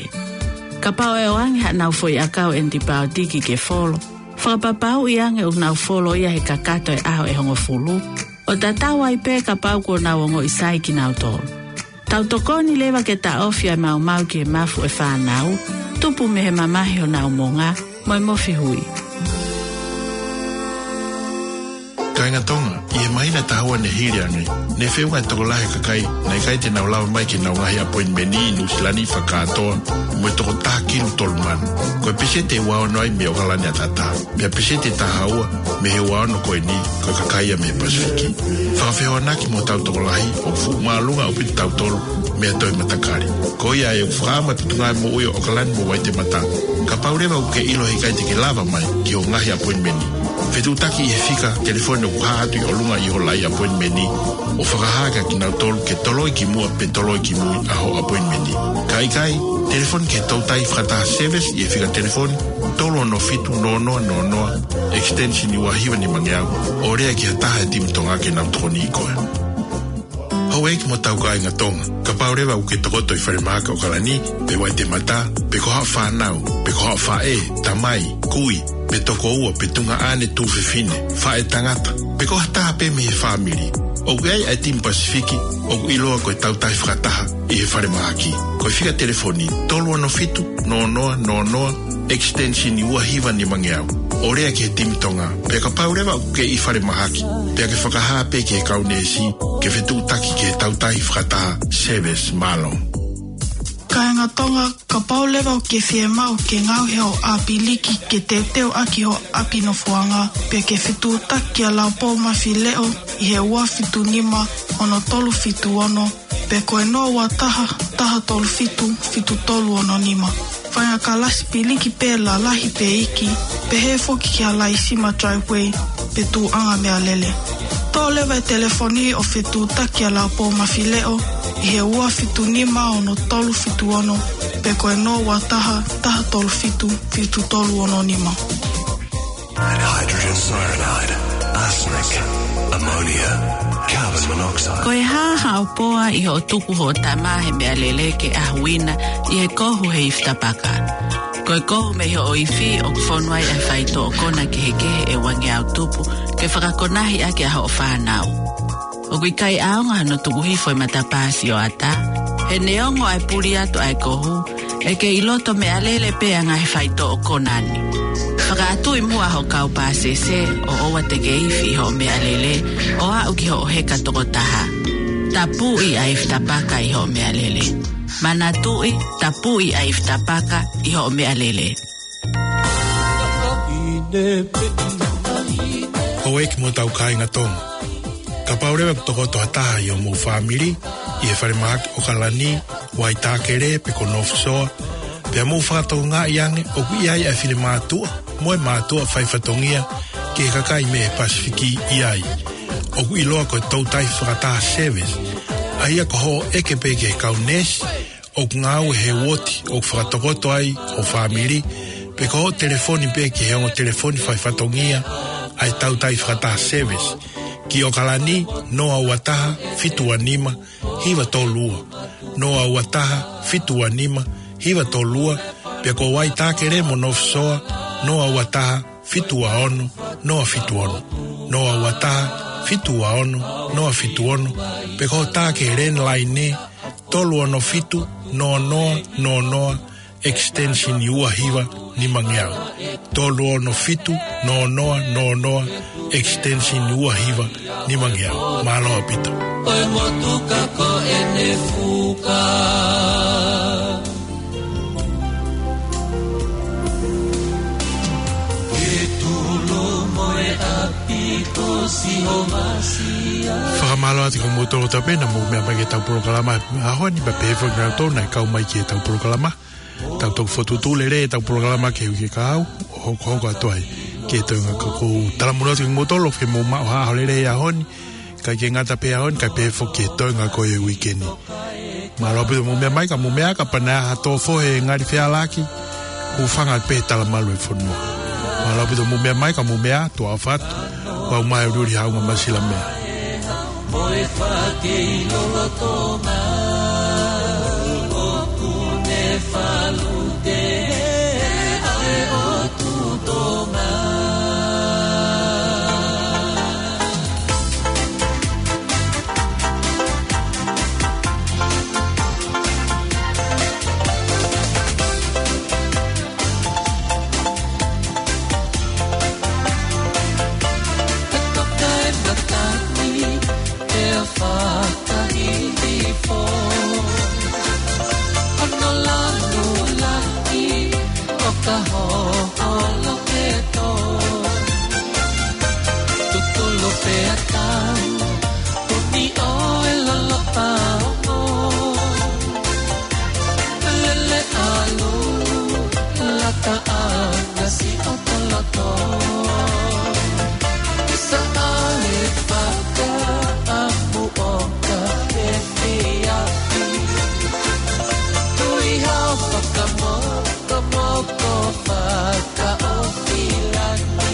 Kapau ʻe ʻoange haʻanau foʻi ʻakau ʻenipaotiki ke folo, fakapapauʻi ange ʻoku nau folo ia he kakato e ʻaho ʻe hongofulu, ʻo tatau ai pē kapau kuo nau ongoʻi sai kinautolu. Tau tokoni leva ke taʻofi ʻa e maumau ki he mafu ʻo e fānau, tupu mei he mamahi honau monga, mo e mofihui. Kāinga Tonga, ʻi he māhina ʻe taha ua ne hili ange, ne feʻunga e tokolahi e kakai naʻe ʻikai te nau lava mai ki heʻenau ngaahi ʻapoinimeni ʻi Nuʻusila ni fakakātoa mo e toko taha kilu tolu mano. Ko e peseti ʻe ua ono ai mei ʻOkalani ʻAtatā, pea peseti ʻe taha ua mei he ua ono ko eni, ko e kakai ia mei he Pasifiki. Fakafehoanaki mo hotau tokolahi, ʻoku fuʻu māʻolunga ʻaupito kitautolu mei ha toe matakali. Ko ia ai ʻoku fakaʻamu e Potungāue Moʻui ʻo ʻOkalani mo Waitemata, kapau leva ʻoku ke ʻilo he ʻikai te ke lava mai ki hoʻo ngaahi ʻapoinimeni, fetuʻutaki ʻi he fika telefoni ʻoku hā atu ʻi ʻolunga ʻi hoʻo laʻi ʻapoinimeni, ʻo fakahā kia kinautolu ke toloi ki muʻa pe toloi ki mui ʻa hoʻo ʻapoinimeni. Ka ʻikai, telefoni ki he Toutai Fakataha Service ʻi he fika telefoni tolu ono fitu noa noa noa noa, extension ua hiva nima ngeau, ʻo lea ki ha taha he timi Tonga ke nau tokoniʻi koe. Houʻeiki mo hotau kāinga Tonga, kapau leva ʻoku ke tokoto ʻi falemahaki ʻOkalani, pe Waitemata, pe ko haʻo fānau, pe ko haʻo faʻē, tamai, kui, pe tokoua, pe tuongaʻane, tuofefine, faʻētangata, pe ko ha taha pē mei he fāmili, ʻoku ʻi ai ʻa e timi Pasifiki ʻoku ʻiloa ko e Toutai Fakataha ʻi he falemahaki. Ko e fika telefoni tolu ono fitu noa noa noa noa, extension ua hiva nima ngeau, ʻo lea ki he timi Tonga. Pea kapau leva ʻoku ke ʻi falemahaki, pea ke fakahā pē ki he kau neesi ke fetuʻutaki ki he Toutai Fakataha Service. Mālō. Kāinga Tonga, kapau leva ʻoku ke fiemaʻu ke ngaohi hoʻo ʻapiliki ke teuteu ʻaki hoʻo ʻapi nofoʻanga, pea ke fetuʻutaki kia Laupōmafileʻo ʻi he ua fitu nima ono tolu fitu ono, pe ko e noa ua taha, taha tolu fitu, fitu tolu ono nima. Faʻahinga kalasi piliki pē lalahi pe iiki, pehē foki ki ha laisima driveway, pe tuʻuʻanga meʻalele. Toʻo leva e telefoni ʻo fetuʻutaki kia Laupōmafileʻo ʻi he ua fitu nima ono tolu fitu ono, pe ko e noa ua taha, taha tolu fitu, fitu tolu ono nima. Hydrogen cyanide, arsenic, ammonia, carbon monoxide. Ko e hā haʻo poa ʻi hoʻo tuku hoʻo tama he meʻalele ke ʻahuina ʻi he kohu he ifi tapaka? Ko e kohu mei hoʻo ifi ʻoku fonu ai ʻa e faitoʻo kona kehekehe ʻe ua ngeau tupu ke fakakonahi ʻaki ʻa hoʻo fānau. ʻOku ʻikai ʻaonga hono tuku hifo e matapā sioʻata, he neongo ʻa e puli atu ʻa e kohu, ʻe kei loto meʻalele pē ʻa e ngaahi faitoʻo kona ni. Fakaʻatuʻi muʻa hoʻo kau pāsese ʻo ʻoua te ke ifi ʻi hoʻo meʻalele ʻo aʻu ki hoʻo heka tokotaha. Tapuʻi ʻa e ifi tapaka ʻi hoʻo meʻalele. Manatuʻi, tapuʻi ʻa e ifi tapaka ʻi hoʻo meʻalele. Houʻeiki mo hotau kāinga Tonga, kapau leva ʻoku tokoto ha taha ʻi hoʻomou fāmili ʻi he falemahaki ʻOkalani, Waitākele pe ko North Shore, pea mou fakatokangaʻi ange ʻoku ʻi ai ʻa e finemātuʻa mo e mātuʻa faifatongia ki he kakai mei he Pasifiki ʻi ai, ʻoku ʻiloa ko e Toutai Fakataha Service, ʻa ia ko hoʻo ʻeke pē ki he kau neesi ʻoku ngāue he uooti ʻoku fakatokoto ai hoʻo fāmili, pe ko hoʻo telefoni pē ki he ongo telefoni faifatongia ʻa e Toutai Fakataha Service, ki ʻOkalani, noa ua taha, fitu ua nima, hiva tolu ua, noa ua taha, fitu ua nima, hiva tolu ua, pea ko Waitākele mo North Shore, noa ua taha, fitu ua ono, noa fitu ono, noa ua taha, fitu ua ono, noa fitu ono, pe ko hoʻo tā ki he landline, tolu ono fitu, noa noa noa noa, extension ua hiva nima ngeau. Tolu ono fitu, noa noa noa noa, extension ua hiva nima ngeau. Mālō ʻaupito. Ko e motuka ko ʻene fuka. Ke tulu mo e ʻapi ko Sihova Sia. Fakamālō atu kia moutolu kotoa pē naʻa mou meʻa mai ki heʻetau polokalama he ʻaho ni, pea pehē foki kia kinautolu naʻe kau mai ki heʻetau polokalama. Tau toki fokotuʻutuʻu lelei ʻetau polokalama ki he uike kahaʻu, ʻo hokohoko atu ai ki he toenga ko ē. Talamonū atu kia moutolu, ʻofa ke mou maʻu ha ʻaho lelei he ʻaho ni, kae ʻikai ke ngata pē he ʻaho ni, kae pehē foki ki he toenga ko ē ʻo e uike ni. Mālō ʻaupito hoʻomou meʻa mai, ka mou meʻa, kapau naʻe ʻi ai ha tō fohe ngali fealaki, hūfanga pē he talamalu ʻo e fonua. Mālō ʻaupito hoʻomou meʻa mai, ka mou meʻa, tuʻa ʻofa atu, ʻoku mau ʻuliʻuli he ʻaho ni, masilameʻa. Mo e fake ʻi lolotonga, ʻoku ne falu te, ʻa e ʻOtua. Fakaʻilifo, ʻo hono lanu lahi ʻo ka hoho loketo. Tutulu pea tau, ʻuni ʻo e lolopa ongo. Lele ʻalu, lata ʻanga siʻoto loto. Saʻa e fakaʻamu ʻo ka efiafi. Tui hao fakamokomoko fakaʻofi lani.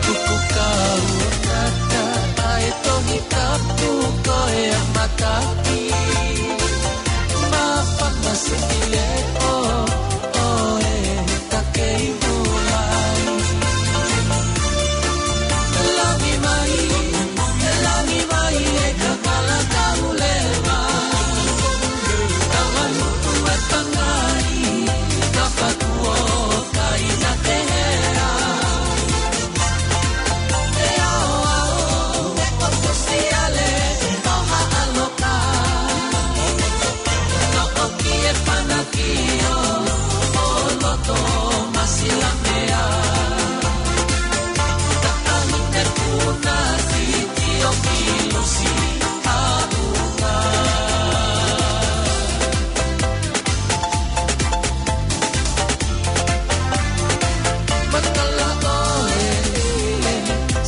Kuku kau ngata ʻa e Tohi Tapu ko e mataki. Māfana siʻi leʻo ʻo e Takei Mulai. Langi mai, langi mai e kakala kauleva. Taualuku e pangai, ka fakuo kai na te hea. E ao ao, e koto siale, o ha alo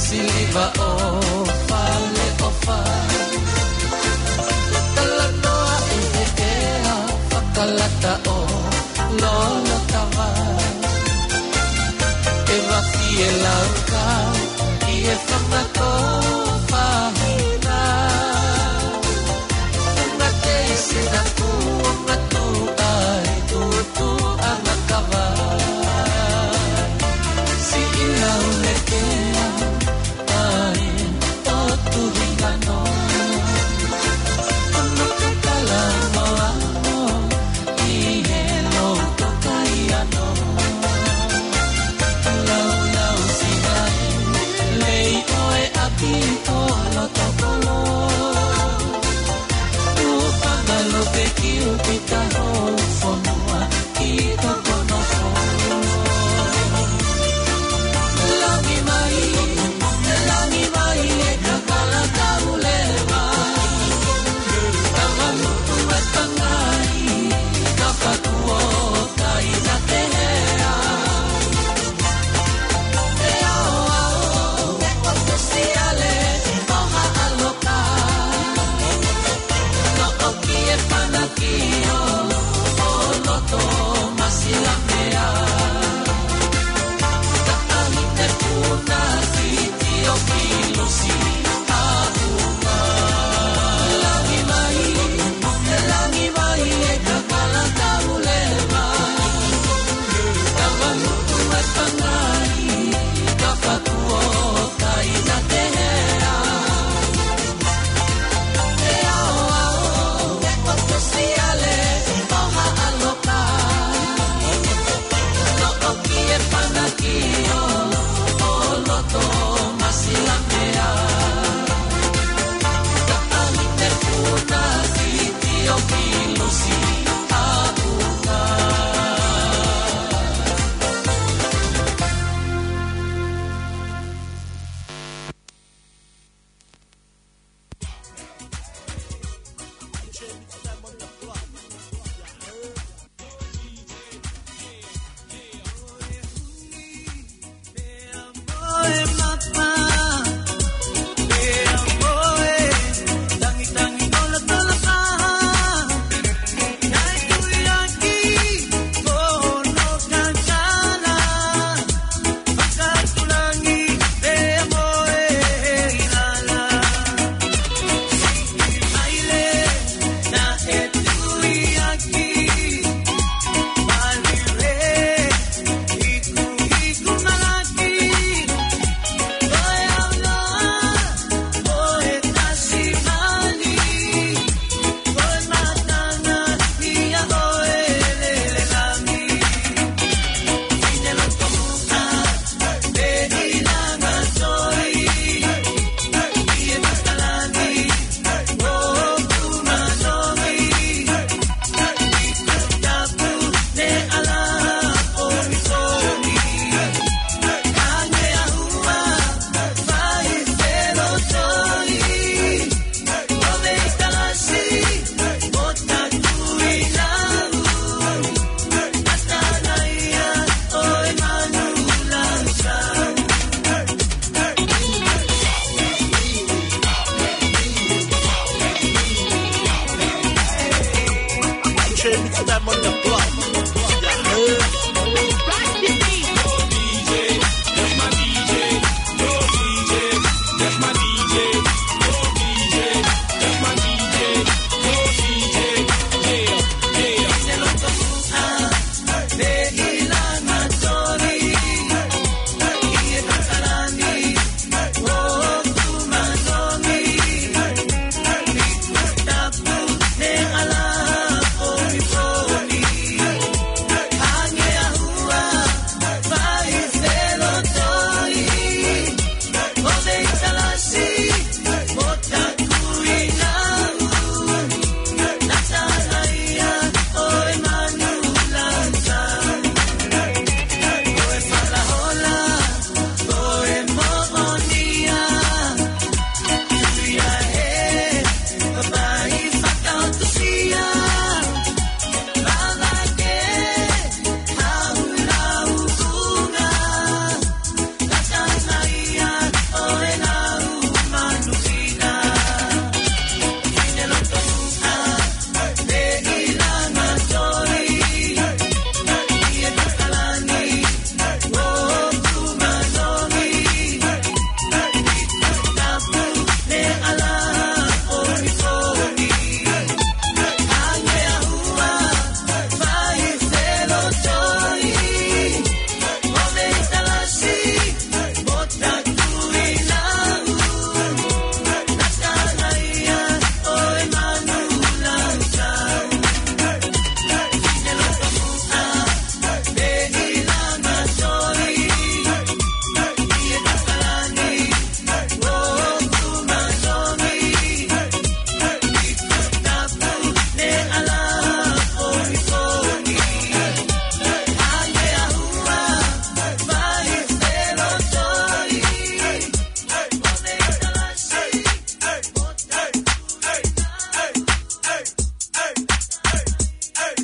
Siliva ʻo Fale ʻo Fa. Talanoa ʻi he ʻea, fakalata ʻo Lolotava. E mafi e laukau ʻi he fanga tōfahina. Unga tei sina kuonga tuʻa e tutu anga kava. Siʻi lau letea ai ʻo Tuhingano. Ono ke tala noa mo ʻi he loto kai ano. Lau lau siʻi lei ʻo e Mix time on the block. Yeah.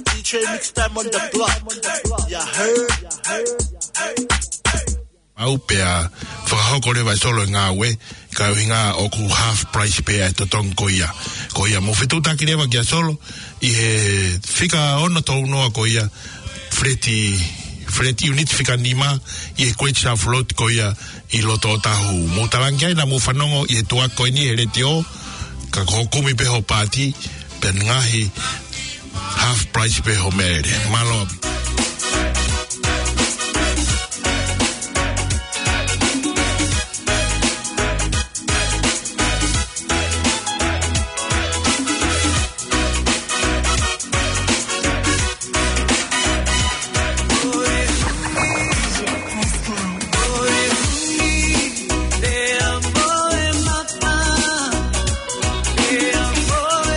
D J Mix Time on the block. Yeah, heard. Mau pea fakahoko leva e Solo e ngāue, ka ʻuhinga ʻoku half price pē ʻa e totongi ko ia. Ko ia mou fetuʻutaki leva kia Solo, ʻi he fika ono tolu noa ko ia, flat, flat unit fika nima, ʻi he Great South Road ko ia, ʻi loto Ōtāhuhu. Mou talaange ai naʻa mou fanongo ʻi he tuʻa ko eni he letiō, ka ko hoʻo kumi pē hoʻo paati, pea ngaahi half price pē hoʻo meʻalele. Mālō.